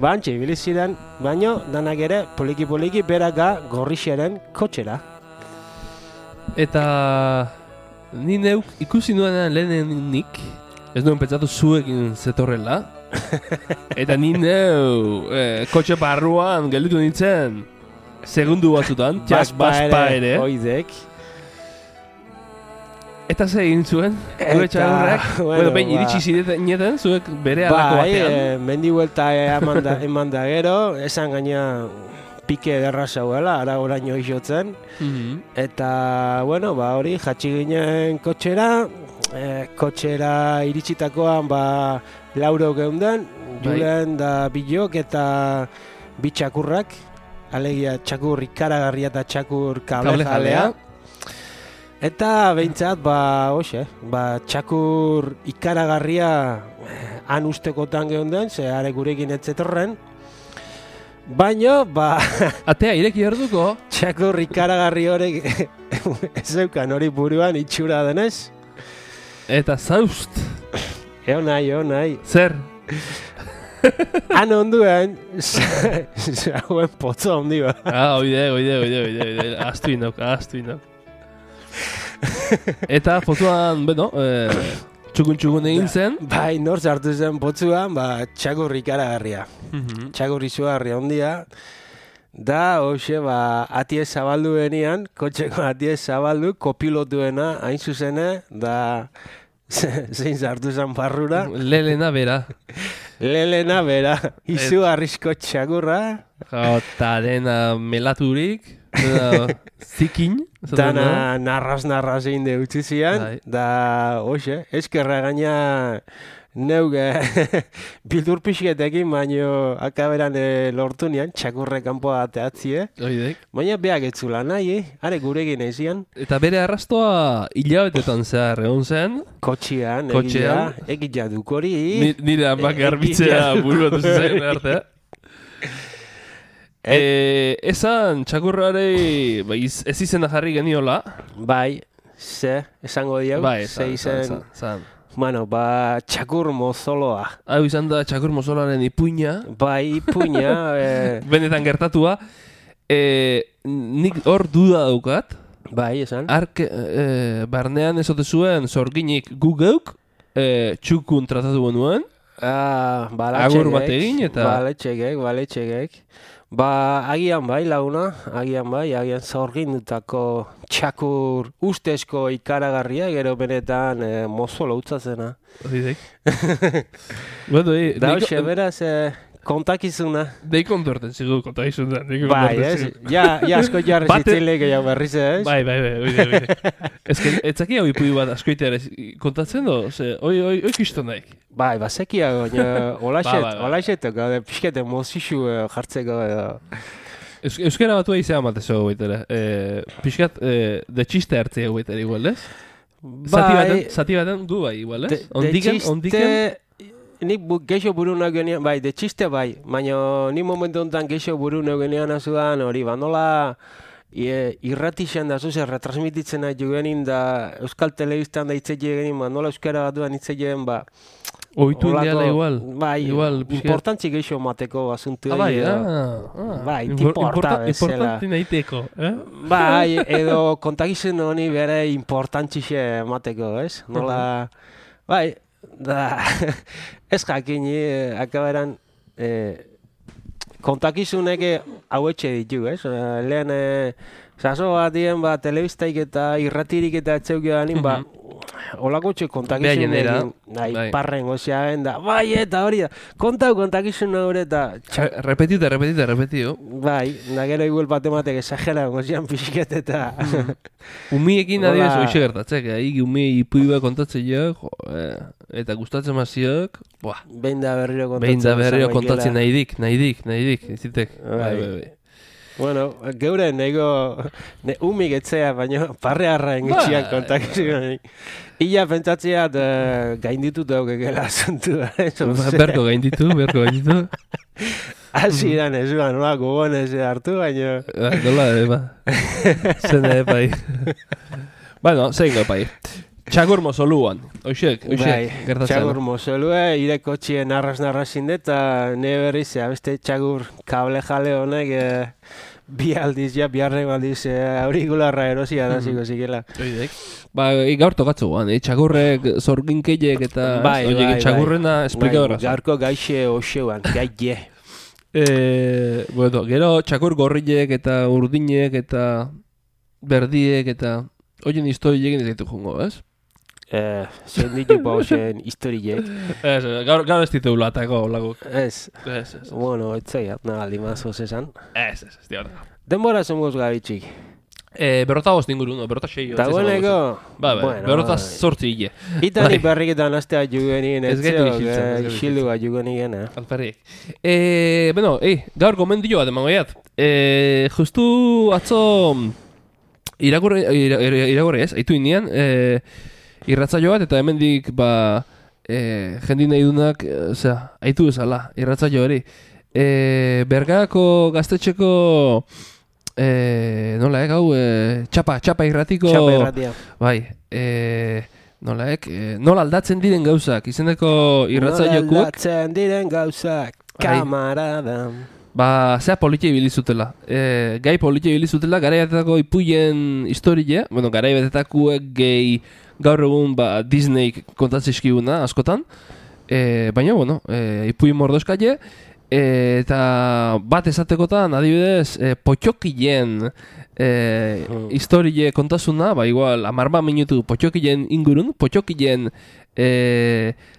Antxe, ibili ziren, baino, danak ere, poliki beraka Gorrixeren kotxera.
Eta ni neuk ikusi nuenean lehenenik, ez nuen pentsatu zuekin zetorrela. Eta ni neu kotxe barruan gelditu nintzen, segundu batzutan, baspa ere.
Oidek.
Eta ze egin zuen, gure txagurrak? Behin iritsi ziren, zuek bere alako batean.
Mendi huelta eman da gero, esan gaina pike ederra zauela, ara oraino izotzen. Eta, hori, jatsi ginen kotxera iritsitakoan, lauro geunden, Julen da bilok eta bi txakurrak, alegia txakur ikaragarria eta txakur kable jalea. Eta behintzat, txakur ikaragarria han ustekotan geunden, ze are gurekin etzetorren. Baina,
atea ireki orduko?
Txakur ikaragarri horrek ez zeukan hori buruan itxura denez.
Eta zaust.
Eo nahi.
Zer?
Han onduen, zauen potzo handi ba.
Oide. Astu inok. Eta potuan, txukun egin zen.
Bai, nor zartu zen potzuan, txakur ikaragarria. Txakur izugarria ondia. Da, atie zabaldu benian, kotxeko atie zabaldu, kopilotuena, hain zuzene, da, zein zartu zen barrura.
Lelena bera,
izugarrizko txakurra.
Eta dena melaturik, zikin.
Dana narraz egin de utzizian, da, eskerra gaina neuge bildur pixketekin, baino akaberan lortu nian, txakurre kanpoa ateatzie. Baina beak etzula nahi, are gurekin eizian.
Eta bere arrastoa hilabetetan zehar egon zen?
Kotxean, egitea dukori.
Nire amak garbitzea buruatu zen artea. Esan txakurrari ez izena jarri geniola.
Bai, esango diau.
Bai,
Bueno, txakur mozoloa.
Hau izan da txakur mozolaren ipuina.
Bai, ipuina.
Benetan gertatua. Nik hor duda daukat.
Bai, esan.
Barnean ezote zuen zorginik gu geuk, txukun tratatu genuen. Agur bat egin eta...
Baletxegek. Agian bai, laguna. Agian zorgin dutako txakur ustezko ikaragarria, gero benetan mozolo utzazena.
Odidek. Bueno,
da hoxe, beraz... kontakizuna.
Deik ondorten zigu kontakizuna.
Bai, ez? Ja asko jarri zitzilek gehiago berriz, ez?
Bai, oide. Ez que, etzaki hau ipui bat askoiteare kontatzen do? Oi kisto naik.
Bai, bazekia, olaxetok, pixkete mozixu jartzeko edo.
Euskara batua izan matezo guaitere. Pixkat, de txiste hartzea guaitere igual, ez? Zati baten du bai, igual, ez? Ondiken?
Nik geixo buru nagoenean, bai, de txiste bai, baina ni momentu honetan geixo buru nagoenean azudan hori, nola irratixan da zuzer, retransmititzen nahi jugenin da Euskal Telebistan da hitze jugenin, nola euskara bat duan hitze jugen,
oitu indiala igual.
Bai, importantzi geixo mateko asuntu. Bai, importa bezala.
Importanti nahiteko,
Bai, edo kontakizun honi bere importantzixe mateko, ez? Nola, bai, da, ez jakin, akaberan kontakizunek hauetxe ditu, ez? Lehen, zazo bat dien, telebistaik eta irratirik eta etxeuki danin, olako txek kontakizun egin, parren goziagen da, bai, eta hori da, kontakizun hori eta...
Repetiu.
Bai, da gero igual batematek esagera gozian pixket eta...
Umiekin adibes hoxe gertatzek, umie ipui bat kontatzen jo, eta gustatzen maziok,
behin da berriro
kontatzen nahidik, zitek. Bai.
Bueno, geure nego umik etzea, baina parrearra engitxiak kontakizun. Ia pentsatzeat gainditut daukekela asuntua.
Berko gainditu.
Asiran ez ba, nola gogonez hartu, baina...
Nola, Zene, bai. Bueno, zein pai. Txakur mozoluan, oixek, gertatzen.
Txakur mozolue, ireko txien narraz-narrazin eta ne berriz, beste txakur kable jale honek bi harrek aldiz aurikularra erosia da ziko zikela.
Oidek. Gaur tokatzu guan, txakurrek zorginkeiek eta txakurrena esplikadora.
Gaurko gaixe oxeuan, gaie.
Bueno, gero txakur gorriek eta urdinek eta berdiek eta oien historiek ez ditu jungo, ez?
Zein ditu pausen historiek.
Gaur ez ditu ulatako laguk.
Ez. Bueno, etzai, nagaldi mazoz esan.
Ez, diarra.
Denbora zengoz gabitxik.
Berrota bost inguru, berrota xeio.
Eta gueneko?
Berrota sortzi hile.
Itani berriketan astea jugenien, xildu bat jugenien.
Alperriek. Bueno, gaur gomendio bat emango jat. Justu atzo iragorri ez, haitu indian, irratzaio bat, eta hemendik, jendin nahi dunak, haitu bezala, irratzaio hori. Bergako gaztetxeko, nola hau, txapa irratiko...
Txapa irratia.
Bai, nola aldatzen diren gauzak, izeneko irratzaiokuak...
Nola aldatzen diren gauzak, kamarada...
Zea politia ibilizutela. Gai politia ibilizutela, garaiatetako ipuien historie, garaiatetakuek gehi gaur egun Disney kontatzizkiguna askotan, baina, ipuien mordoskaile, eta bat esatekotan, adibidez, potxokien historie kontasuna, igual, 10 minutu potxokien ingurun, potxokien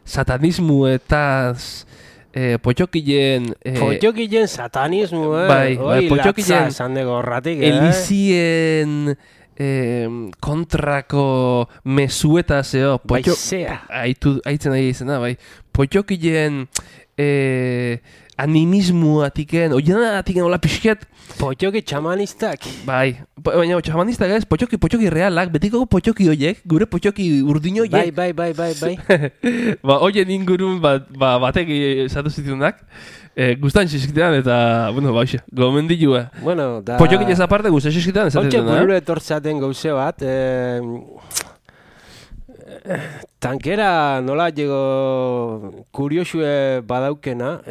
satanismu eta... Potxokien
satanismo,
potxokien elizien kontrako mesueta zeo.
Baizea.
Aitzen nahi izena, bai. Potxokien animismuatiken, oienatiken hola pixket.
Potxoki txamanistak.
Baina txamanistak ez, potxoki realak, betiko potxoki horiek, gure potxoki urdin horiek.
Bai.
Oien ingurun batek esatu zitunak, gustan xizkitean eta, gomendilua. Potxoki ez aparte gustan xizkitean esatu zitunak.
Hortxe burure etortzaten gauze bat, Tankera nola llego kuriosue badaukena,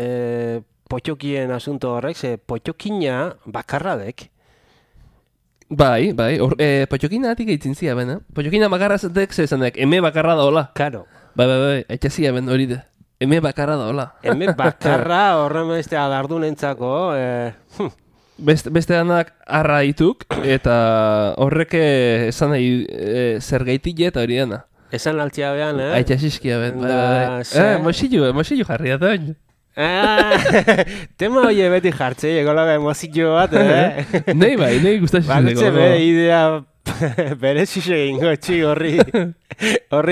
potxokien asunto horrek, ze potxokina bakarradek.
Bai, potxokinatik eitzin zia bena. Potxokina bakarrazetek zezanek, eme bakarra da hola.
Karo.
Bai, etxazia ben hori da. Eme bakarra da hola.
Eme bakarra horren beste alardunentzako,
Beste danak arra dituk, eta horrek esan nahi zergaitik eta hori dena.
Esan altzia behan,
Aitxasizkia ben, bai. Mosilu jarri da.
Tema hori beti jartzei, egola emozio bat,
Nei gustatzen.
Balutze bere idea berezise egingo txi horri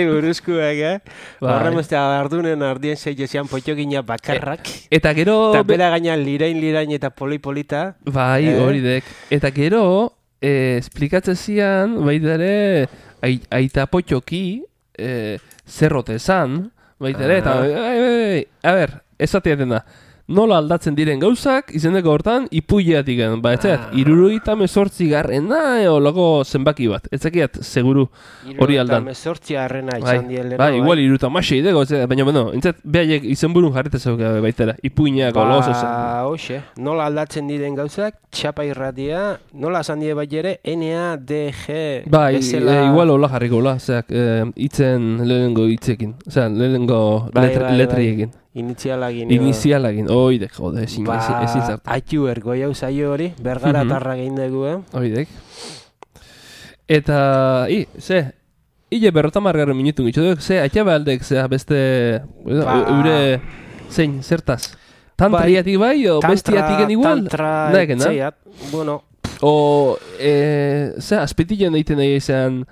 buruzkuek, horren beste adardunen ardien zeizean potxokina bakarrak.
Eta gero...
Eta bera gainan lirain eta polipolita.
Bai, hori dek. Eta gero, esplikatzen zian, baita ere, aita potxoki, zerrote zan, baita ere, eta, a ber, ezatea dena, nola aldatzen diren gauzak, izeneko hortan, ipuileatik gen, ba, etxeat, 78 garrena, olako zenbaki bat, etzakiat, seguru hori aldan.
78 garrena izan dielena.
Bai, igual 76 idego, baina, entzat, behaiek izenburun jarrita zauka baitera, ipuineako lozo zen.
Ba, hoxe, nola aldatzen diren gauzak, txapa irratia, nola esan die bai ere, NADG,
bai, igual hola jarriko, hola, zeak, itzen lehenengo hitzekin, lehenengo letriekin. Inizialagin, oidek, jode, ezin zartu.
Aitu ergoi hau zaio hori, bergara tarra gehin dugu,
Oidek. Eta, hile berrotamargarren minutu gitzu duk, atxaba aldek, beste, eure, zein, zertaz? Tantriatik bai, o bestiatik igual?
Tantra, etxeiat, bueno.
O, azpitilen egiten nahi izan...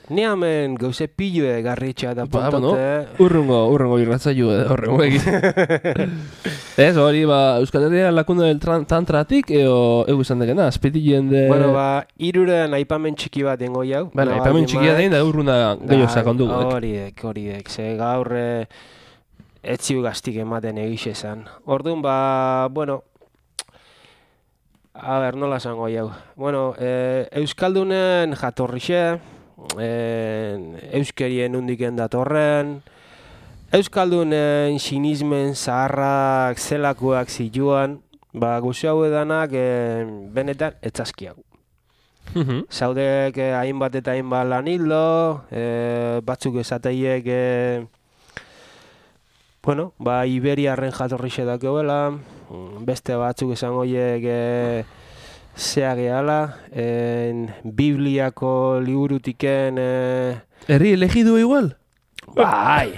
Ni hamen gauze pilue garritxa da pontote.
Urrungo irratzaio horrengo egin. Ez, hori, Euskal Herria lakuna del tantratik, ego izan degena, azpitilen de...
Bueno, iruren aipamen txiki bat dengo jau.
Aipamen txikia den, da urruna gehiago sakondu.
Horiek, ze gaur etziu gaztik ematen egixe esan. Orduan, bueno... A ber, nola zango jau. Bueno, Euskaldunen jatorrixe, euskerien undiken datorren, Euskaldunen sinismen zaharrak zelakoak zituan, guzu hau edanak benetan etzazkiak. Zaudek hainbat eta hainbat lan hildo, batzuk esateiek, bueno, Iberiarren jatorrixe dakoela, beste batzuk esan horiek zea gehala, Bibliako liburutiken...
Herri elegidu igual?
Bai,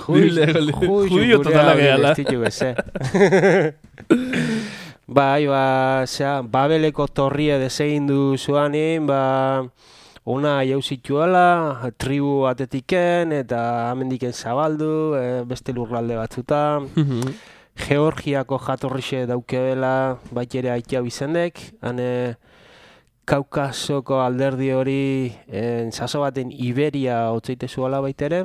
juio
totala gehala.
Bai, Babeleko torrie desegin du zuanin, ona jauzituela, tribu atetiken, eta amendiken zabaldu, beste lurralde batzuta. Georgiako jatorrixe daukebela, bait ere aitea bizendek, hane Kaukasoko alderdi hori zazo baten Iberia hotzeite zuela baitere.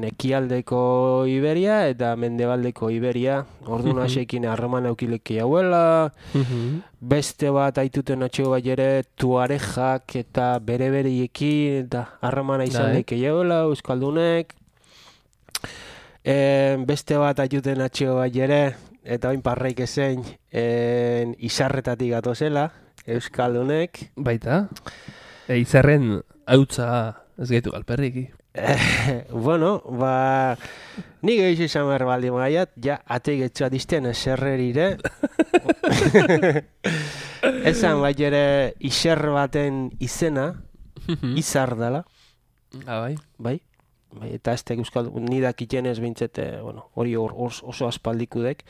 Ekialdeko Iberia eta mendebaldeko Iberia. Orduan hasekin harreman aukileki hauela. Beste bat aituten atxego bai ere tuarejak eta bere-bereiekin eta harremana izan deke hauela, Euskaldunek. Beste bat aituten atxego bai ere, eta oin parraik ezein izarretatik gatozela, Euskaldunek.
Baita? Izarren hautza ez gaitu galperriki.
Bueno, nik egizu izan behar baldi maiat, ateik etxua dizten eserrerire. Ezan bai ere iser baten izena, izar dela. Bai, eta ez tek euskal, nidak itenez bintzete, hori oso aspaldikudek.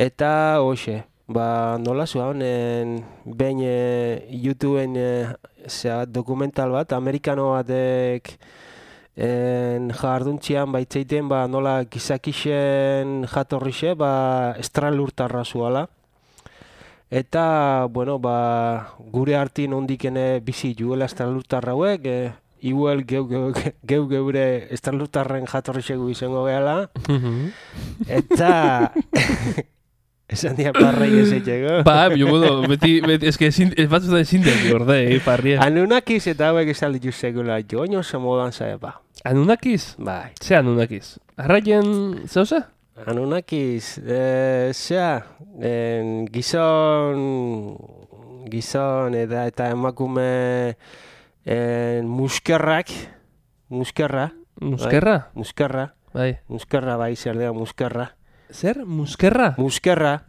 Eta hoxe, nola zuen, behin YouTubeen dokumental bat, amerikano batek jarduntzian baitzeiten nola gizakixen jatorrixe, estralurtarra zuala. Eta, gure hartin ondikene bizi juela estralurtarra hauek, igual geure estralurtarren jatorrixegu izango gehala. Eta Esan dia parrai ezetxeko.
Bueno, beti, eske, batzutan zindeak gorde, parria.
Anunakiz eta hauek esan ditu sekula, joño oso modan zaepa.
Anunakiz?
Bai.
Ze Anunakiz? Arraien zeuze?
Anunakiz, gizon eta emakume muskerra.
Muskerra?
Bai. Muskerra bai, zer dira muskerra.
Zer? Muskerra? Muskerra,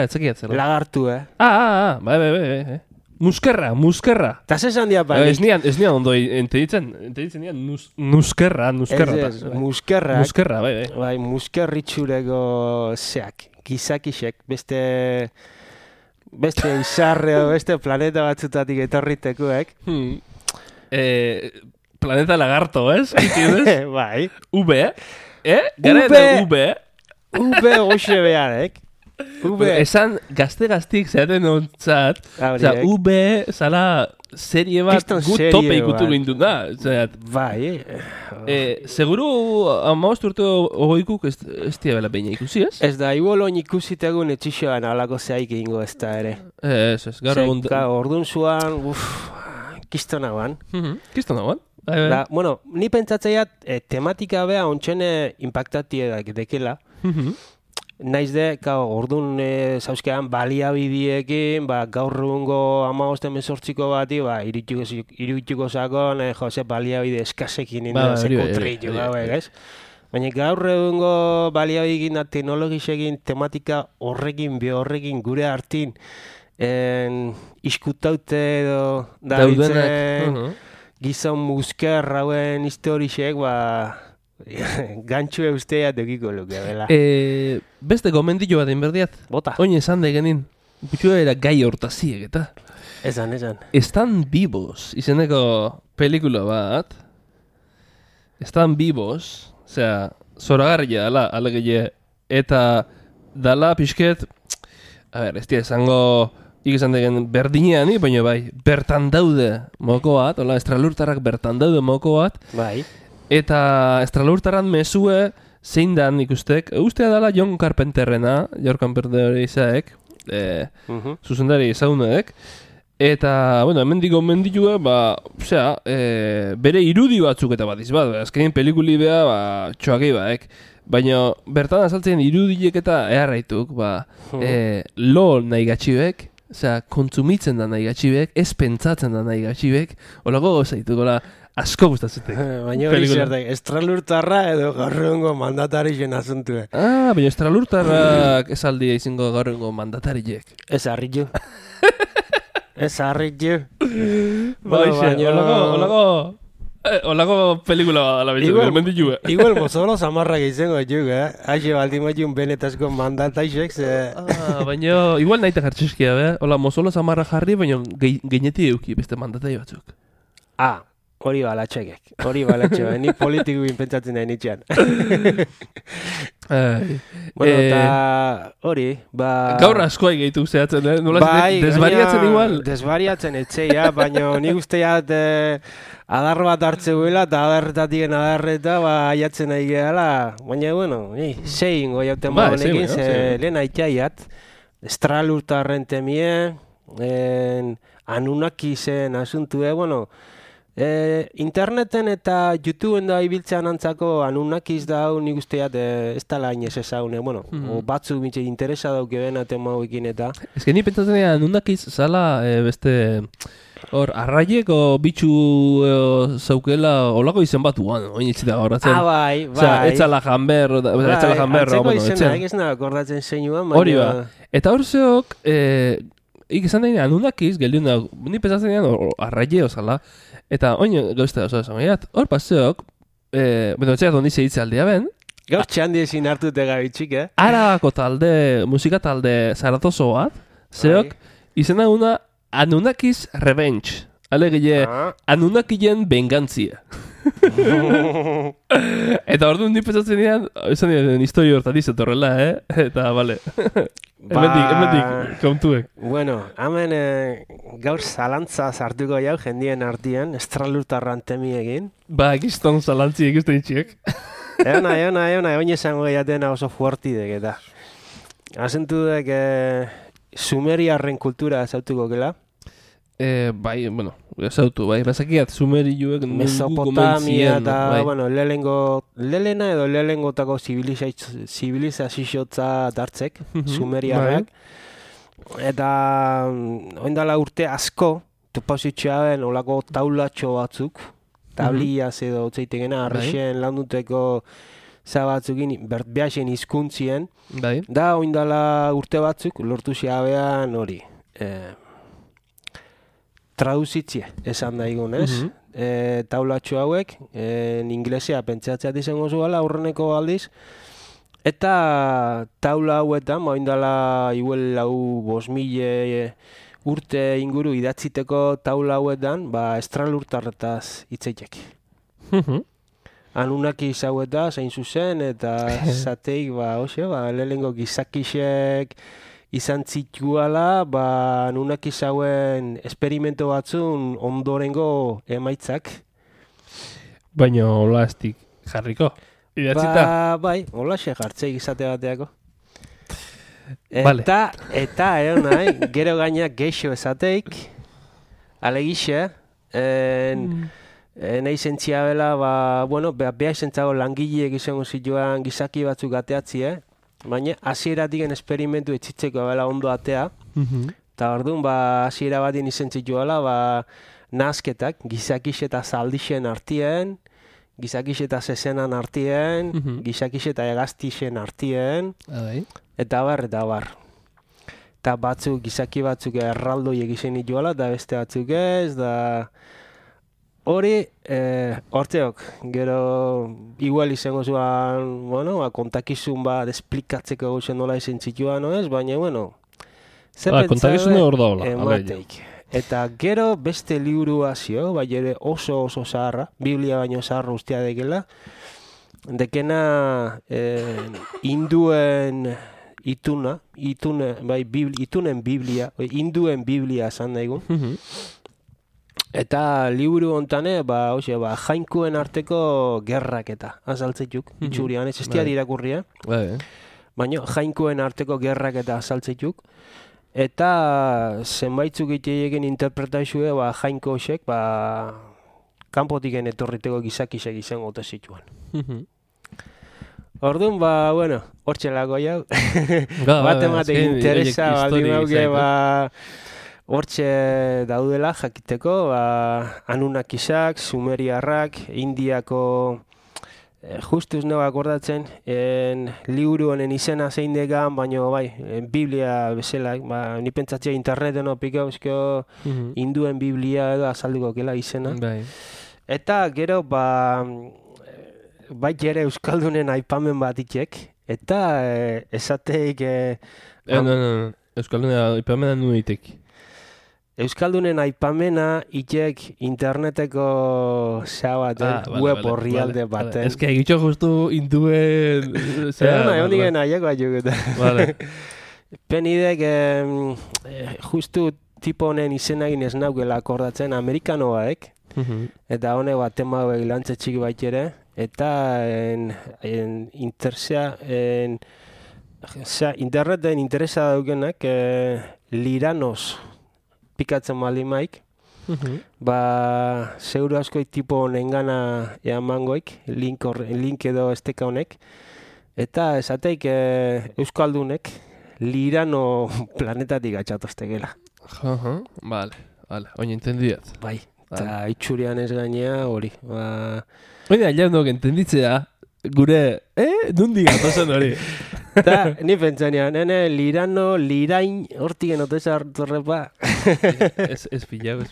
etzakiatzela.
Lagartu,
Bai. Muskerra.
Ta zesan dia bai.
Ez nian ondo entenditzen nian muskerra.
Ez, muskerra.
Bai.
Bai, muskerritxureko zeak, gizakisek, beste izarre o beste planeta batzutatik etorritekuek.
Planeta lagarto, ez?
Bai.
V, Gara eta V.
V goxe beharek.
Esan gazte-gaztik zeaten ontzat, V zala serie bat gut tope ikutu gindu da.
Bai.
Seguru amaost urte ogoikuk ez diabela beina ikusi, ez?
Ez da, igual oin ikusitegun etxixoan alako zehaik egingo ez da ere.
Ez, gaur egun...
Orduan zuan, kistonagoan.
Kistonagoan?
Bueno, ni pentsatzeiat tematika beha ontxene impactatie dekela. Naiz de, orduan zauzkean baliabidiekin, gaur egungo 15-18 bati, irutxuko zakon, jose baliabide eskasekin sekutrillo gauek, ez? Baina gaur egungo baliabidekin da teknologisekin tematika horrekin gure hartin iskutaute edo dabitzen gizon musker hauen historisek, gantxue ustea dukiko luke, bela.
Beste gomendillo bat inberdiat.
Bota.
Oin esan degenin. Butxua era gai hortaziek, eta.
Esan.
Están vivos, izeneko pelikula bat. Están vivos, osea, zoragarria dala, alegile, eta dala pixket, ez dira esango, ikizan degen berdinean, baina bai, bertan daude moko bat, hola, estralurtarrak bertan daude moko bat.
Bai.
Eta estralurtaran mesue zein dan ikustek. Ustea dala John Carpenterrena, John Carpenter izaek, zuzendari izaunek. Eta, bueno, hemen digo mendilue, bere irudi batzuk eta bat izbat. Azkenin pelikuli beha, txoakei baek. Baina bertan azaltzen irudiek eta eharraituk, lo nahi gatxibek, kontsumitzen da nahi gatxibek, ez pentsatzen da nahi gatxibek, holako gozaituk, asko gustatzen.
Baina hori zertek, estralurtarra edo gaurrengo mandatari zen asuntue.
Baina estralurtarrak ez aldia izango gaurrengo mandatariek.
Ez harritu.
Olako pelikula ala bitu,
igual mozolo zamarrak izango juk, Haxe baldimotxun benetazko mandataisek,
baina igual nahi jartxeskia, hola mozolo zamarra jarri, baina geineti euki beste mandatai batzuk.
Hori balatxekek, ni politiko pentsatzen nahi nitxean. Bueno, eta hori,
gaur askoa gehitu zehatzen, desbariatzen igual?
Desbariatzen etxeia, baina nik usteat adar bat hartze guela, eta adarretatik adarreta, aiatzen nahi gehala. Baina, bueno, zein goiauten honekin, lehen aitzaiat, estralurtarren temie, Anunakizen asuntue, bueno, interneten eta YouTubeen da ibiltzean antzako Anunnakiz da hau nik usteat ez tala inez ezaune, bueno, batzuk mitxe interesa dauke bena tema hauekin eta...
Ez que ni pentsatzen dira Anunnakiz zala beste... Hor, arraiek o bitxu zaukela olako izen bat uan, oin itxita gauratzen.
Bai.
Etzala janberro,
antzeko izena, ez nahi akordatzen zeinuan, baina...
Hori ba, eta hor zeok, ikizan da Anunnakiz, geldiun da, ni pentsatzen dira arraie ozala, eta oin gauztea oso esan gaiat, hor paseok, etxeak dondi zeitze aldea ben,
gauz txandi ezin hartute gabitxik,
Arabako talde, musika talde zaratoso bat, zeok, izena una Anunnakiz Revenge. Alegile, Anunnakizen vengantzia. Eta orduan ni pentsatzen dian, esan dian historio hortatiz etorrela, Eta, bale. Hemendik, kontuek.
Bueno, hemen gaur zalantza sartuko jau jendien artien, estralurtarran temiekin.
Giston zalantziek uste ditxiek.
Eona, oin esango gehiatena oso fuertidek eta. asentu dek sumeriarren kultura ezautuko gela?
Bai, bueno, ezautu, bai, bazakiat sumerioek
Mesopotamia eta, bai. Bueno, lehengotako zibilizazioa dartzek, sumeriarrak. Bai. Eta oindala urte asko, topazitxeaben olako taulatxo batzuk, tabliaz edo otzeitengena, arrexen landuteko zabatzukin, behasen hizkuntzien.
Bai.
Da, oindala urte batzuk, lortu xeabean hori. Traduzitzie, esan da igun, ez? Taulatxo hauek, inglesea pentsatzeat izango zuela aurreneko aldiz. Eta taula hauetan, oindala igual 5.000 urte inguru idatziteko taula hauetan, estralurtarretaz hitzeitek. Anunnaki hauetaz, hain zuzen, eta zateik, lehenengo gizakisek izan zituala, Anunnaki hauen esperimento batzun ondorengo emaitzak.
Baina hola estik jarriko, idatzita?
Bai, hola xe jartzeik izate bateako. Eta nahi, gero gainak geixo esateik, alegixe, nahi zentzia bela, beha zentzago langileek izango zituan gizaki batzuk ateatzi, baina hasieratik esperimentu etxitzeko bela ondo atea, eta orduan hasiera batien izan zituela, nazketak, gizakixe eta zaldixen artien, gizakixe eta zezenan artien, gizakixe eta egaztixen artien, eta bar. Eta gizaki batzuk erraldoiek izan dituela, eta beste batzuk ez, da hori, hortzeok, gero igual izango zuan, kontakizun esplikatzeko gauzen nola izan zituan, baina,
kontakizun hor daula.
Emateik. Eta gero beste liburua zio, bai ere oso zaharra, Biblia baino zaharra ustea dekela, dekena hinduen itunen Biblia, hinduen Biblia esan daigun. Eta liburu hontane, jainkuen arteko gerrak eta azaltzetuk, itxurian, ez estia dirakurria. Baina jainkuen arteko gerrak eta azaltzetuk. Eta zenbaitzuk egin interpretaizue jainko hosek, kanpotiken etorriteko gizakisek izango ote zituan. Orduan, hortxelako jau. Bat interesa baldin hauke, hortxe daudela jakiteko, Anunnakisak, Sumeriarrak, Indiako, justuz nago akordatzen, liburu honen izena zein degan, baina Biblia bezala, ni pentsatzea interneten opiko euskio hinduen Biblia edo azalduko kela izena. Eta gero, ere Euskaldunen aipamen bat itek, eta esateik...
Euskaldunen aipamena nuitek.
Euskaldunen aipamena itek interneteko web horrialde baten.
Ez que egitxo justu induen...
Egon digen aiako aiuguta. Penidek justu tipo honen izenagin ez naukela akordatzen Amerikanoaek, eta hone tema lantze txiki baitere, eta interneten interesa daukenak Liranos pikatzen malimaik, seguru askoik tipo honen gana eamangoik, link edo esteka honek, eta esateik Euskaldunek Lirano planetatik atxatoztegela.
Vale, oin entendiat.
Bai, eta itxurian ez gainea hori.
Oina, jaunok entenditzea, gure, nundi gatozen hori.
Eta, ni pentsanean, Lirano, Lirain, hortik enoteza hartorrepa.
Ez pilau.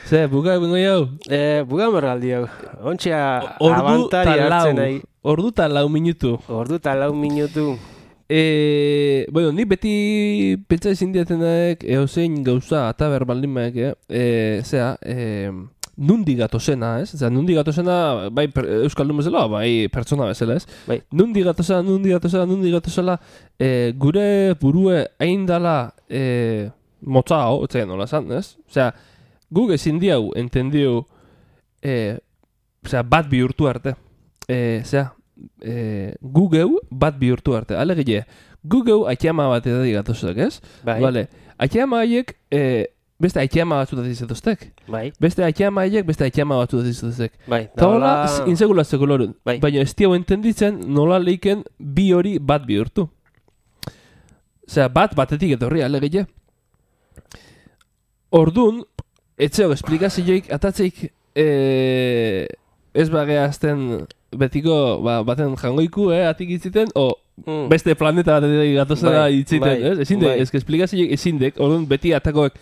Ze, buka bengo jau?
Buka mergaldi jau. Ontsia, abantari hartzen nahi.
Ordu ta 4 minutu. Ni beti pentsa ezin diatenak eozein gauza eta berbaldin maek, nundi gatozena, ez? Nundi gatozena, bai Euskaldun bezala, bai pertsona bezala, ez?
Bai.
Nundi gatozela, gure burue hain dala motzao, etzaien nola zan, ez? Guk ezin diau entendiu bat bihurtu arte. Gugeu bat bihurtu arte. Alegile, Gugeu aikiama bat edatik gatozak, ez?
Bai.
Vale. Aikiama haiek, beste aikiama batzutat izatoztek.
Bai.
Beste aikiama haiek, beste aikiama batzutat izatoztek.
Bai.
Eta hola, insegulatzeko lorun.
Bai.
Baina ez tiago entenditzen nola leiken bi hori bat bihurtu. Osea, batetik etorri alegile. Ordun, etxeok esplikazioik atatzeik ez bageazten betiko baten jangoiku, atik itziten, beste planeta batetik gatozera itziten, ez? Ezindek, ez esplikazioik ezindek, orduan beti atakoek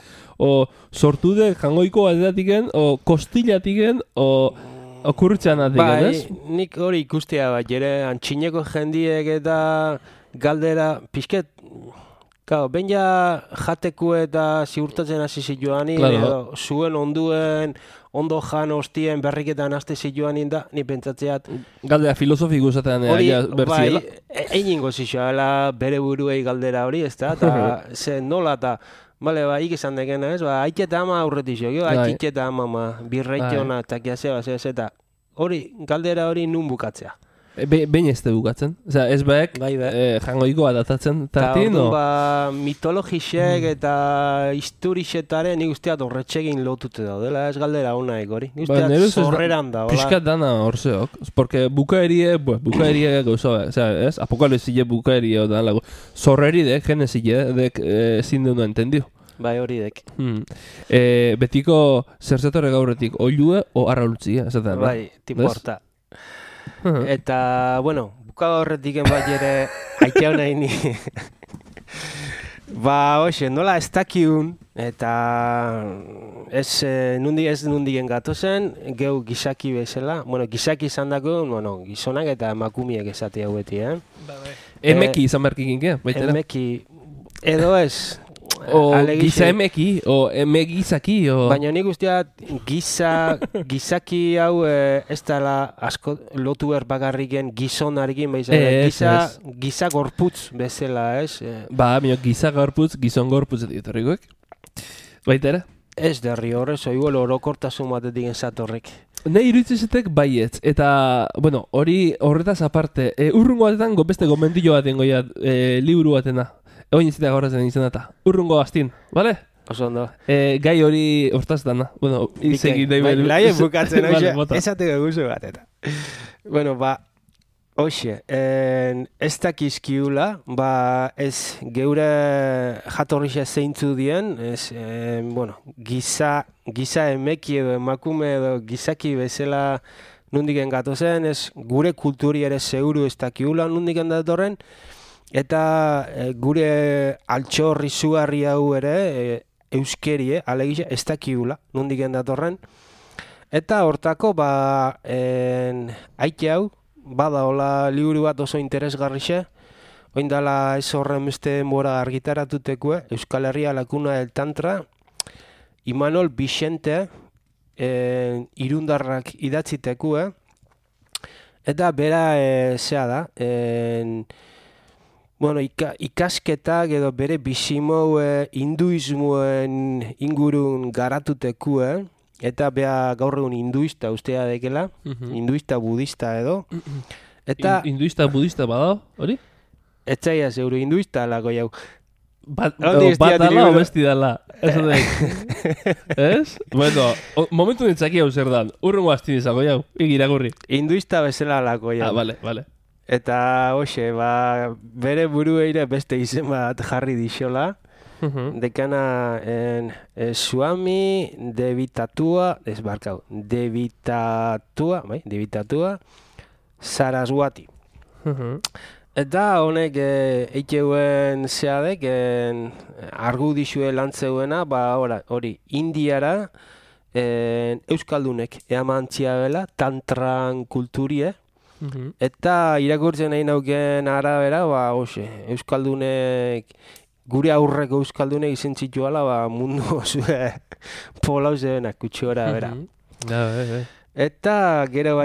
sortudek jangoiko batetiken, kostilatiken, kurtxan atiken, ez?
Bai, nik hori ikustea bat, jere antxineko jendiek eta galdera, pixket, behin ja jateku eta ziurtatzen hasi zituanin, edo zuen onduen, ondo jan hostien berriketan haste zituanin da, ni pentsatzeat.
Galdera filosofiko zaten bertziela.
Bai, einingo zizioela bere buruei galdera hori, ez da, eta ze nola eta, bale, ikizan dekena, ez, aiketa ama aurretizio, aiketa ama, birreitiona, eta kiazea, eta hori, galdera hori nun bukatzea.
Behin ez te bukatzen. Osea, ez baek jangoikoa datatzen tartin, no?
Mitologisek eta historisetaren nik usteat horretxegin lotute daudela, ez galdera honaik hori. Nik usteat zorreran da, hola.
Piskat dana horzeok. Porque bukaerie gauza, osea, ez? Apokalipsile bukaerie odan lagu. Zorreridek, genesidek ezin deuna entendio.
Bai, hori dek.
Betiko zerzetore gaurretik oilue o arraultzia, esaten.
Bai, tipo horta. Eta, bueno, bukaga horretik bat ere aitea nahi ni. Hoxe, nola ez dakiun, eta ez nundigen gatozen, geu gizaki bezala. Bueno, gizaki izan dako, gizonak eta emakumiek esate hau beti,
Emeki izan berkikin, baitera?
Emeki, edo ez.
O giza emeki, o emegizaki, o...
Baina nik usteat gizaki hau ez dela asko lotu bakarriken gizonarekin, giza gorputz bezala, ez?
Giza gorputz, gizon gorputz dietorrikoek. Baitera?
Ez derri horrez, oiguel orokortasun batetik enzatorrek.
Ne iruditzezetek baietz, eta, bueno, hori horretaz aparte, urrungo batetan beste gomendillo baten goiat, liburu batena. Oin izitea gaurrazen izan eta. Urrungo bastin, bale?
Oso ondo.
Gai hori hortaz dana. Bueno, izegi nahi behar.
Laien bukatzen, oixe, esateko guzu bat eta. Bueno, oixe, ez dakizkiula, ez geure jatorrixe zeintzu dien, bueno, giza emeki edo emakume edo gizaki bezala nundiken gatozen, ez gure kulturi ere seguru ez dakiula nundiken datorren, eta gure altxor izugarri hau ere euskerie, alegia, ez dakiula, nundiken datorren. Eta hortako, aike hau, bada hola liburu bat oso interesgarrixe, oindala ez horren beste mora argitaratuteko, Euskal Herria Lakuna del Tantra, Imanol Vicente, irundarrak idatziteko, eta bera, zea da, bueno, ikasketak edo bere bizimou hinduismoen ingurun garatuteku, eta bea gaur egun hinduista ustea dekela, hinduista budista edo. Eta
hinduista budista bada, hori?
Etzaia zeuro hinduista lako jau.
Bat dala o besti dala, eso de. Ez? Bueno, momentu nintzaki hau zer dan, urrungo hastin izango jau, igiragurri.
Hinduista bezala lako jau.
Vale.
Eta, hoxe, bere burueire beste izen bat jarri dixola. Dekana Swami Devitatua Saraswati. Eta honek eikeuen zeadek argudizue lantzeuena, hori, Indiara euskaldunek eamantzia bela, tantran kulturie. Eta irakurtzen nahi nauken arabera, euskaldunek, gure aurreko euskaldunek izen zituala, mundu osue polau zebenak kutxora bera. Eta gero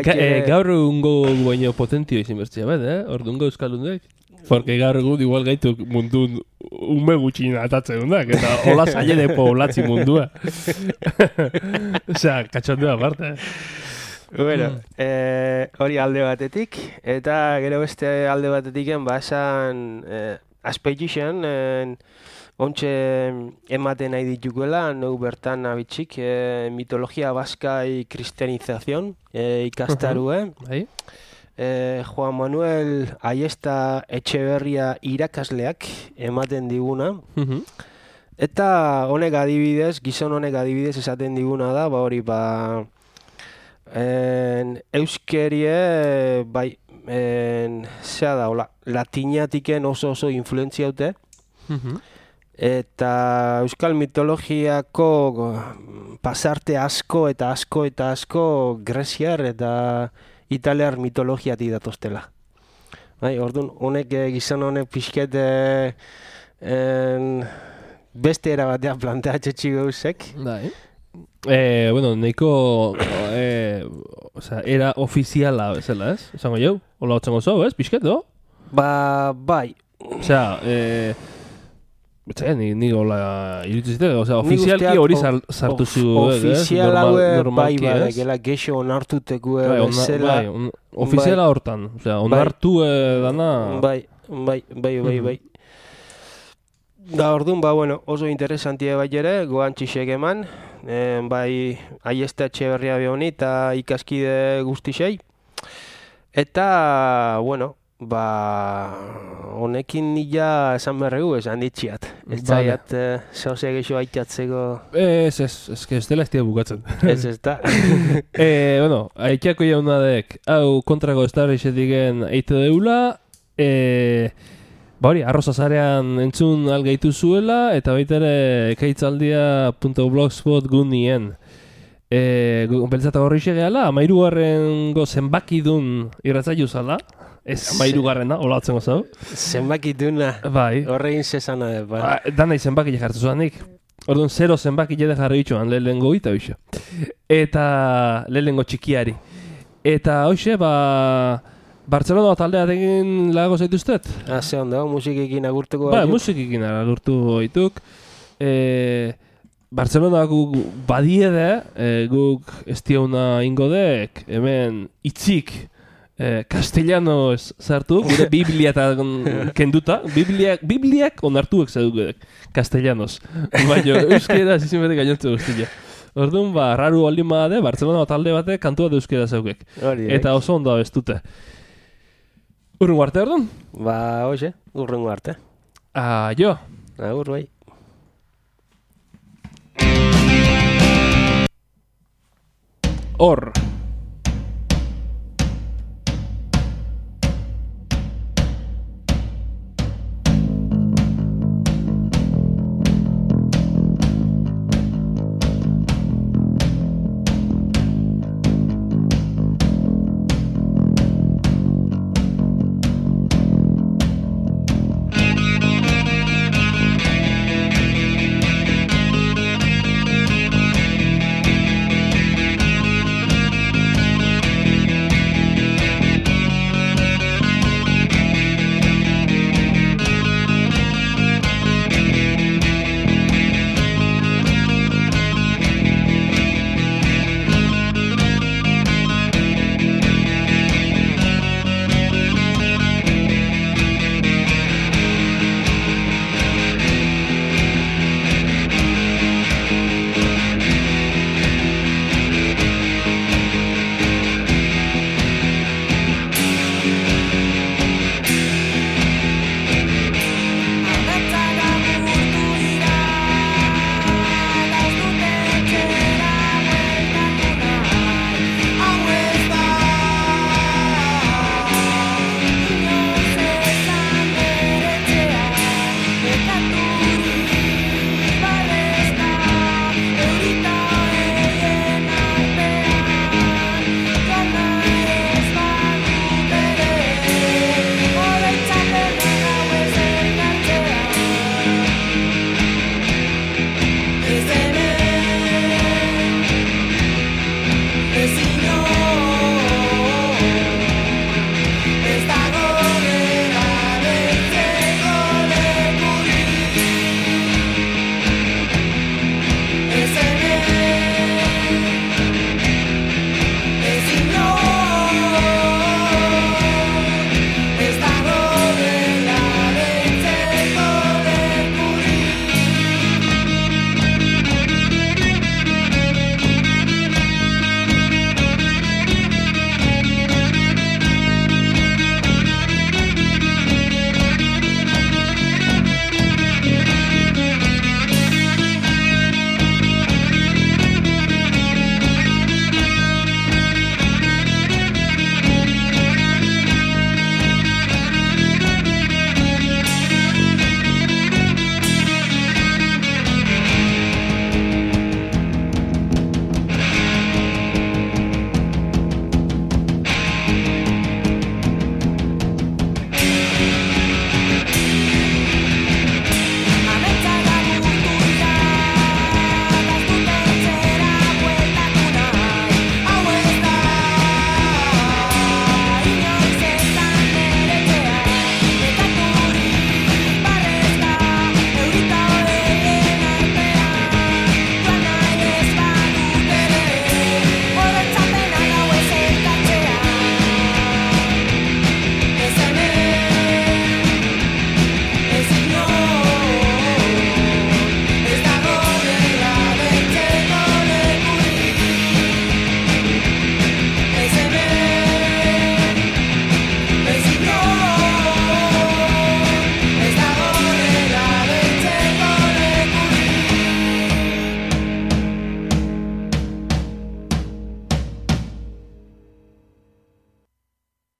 gaur ungo baino potentio izin bertzea bet, ordungo euskaldunek. Porque gaur egun igual gaitu mundun ume gutxin atatzen dundak, eta hola zaile de poblatzi mundua. Osea, katxondua aparte,
Bueno, hori alde batetik, eta gero beste alde batetik esan aspeitzen, ontxe ematen nahi dituguela, nou bertan abitxik, mitologia baskai kristianizazion ikastarue.
Bai.
Juan Manuel Aiesta Etxeberria irakasleak ematen diguna. Eta honek adibidez, gizon honek adibidez esaten diguna da, hori euskerie, bai, zea da, latinatiken oso influentzia haute. Eta euskal mitologiako pasarte asko greziar eta italiar mitologiatik datoztela. Bai, orduan, honek gizon honek pixket beste erabatean planteatxetxi gauzek.
Bai. Bueno, nahiko era ofiziala bezala, ez? Esango jau? Ola hotzengo zau, ez? Pixket, do?
Bai.
Osea, ni hola iruditzite, ofizialki hori sartu zu,
ofizial haue bai badekela gexo onartuteko bezala.
Ofiziala hortan, osea, onartu dana.
Bai. Da orduan, bueno, oso interesantia bai ere, goan txixek eman, bai Aiesta Etxeberria behoni eta ikaskide guztisei. Eta, bueno, honekin nila esan berregu, esan ditxiat. Ez zaiat, zauze geixo aitatzeko...
Ez dela ez dira bukatzen.
Ez da.
Bueno, aitxako jaunadek, hau kontrako ez da horrexetiken eite deula, hori, arrozazarean entzun algaitu zuela, eta baita ere ekaitzaldia.blogspot gunien. Beltzata horri xegeala, 13. zenbakidun irratzaiu zala. Ez 13. hola hotzen gozau.
Zenbakiduna.
Bai.
Horrein zesana.
Danai zenbakile jartu zuanik. Orduan 0 zenbakile de jarri bitxuan, lehenengo gita bixa. Eta lehenengo txikiari. Eta hoxe, Bartzelona taldea egin lago zaituztet?
Ze ondo, musikikin agurtuko
gaituk? Musikikin agurtu gaituk. Bartzelona guk badiede, guk ez diauna ingodek, hemen itzik castellano sartu, gure Biblia eta kenduta. Bibliak onartuek zeduk castellanos. Baina euskera zizinbetek gainontze guztia. Orduan, raru aldin badade, Bartzelona talde batek kantua da euskera zeukek. Eta oso ondo abestute. Urrungo arte, orduan?
Hoxe, urrungo arte.
Jo.
Agur, bai.
Hor.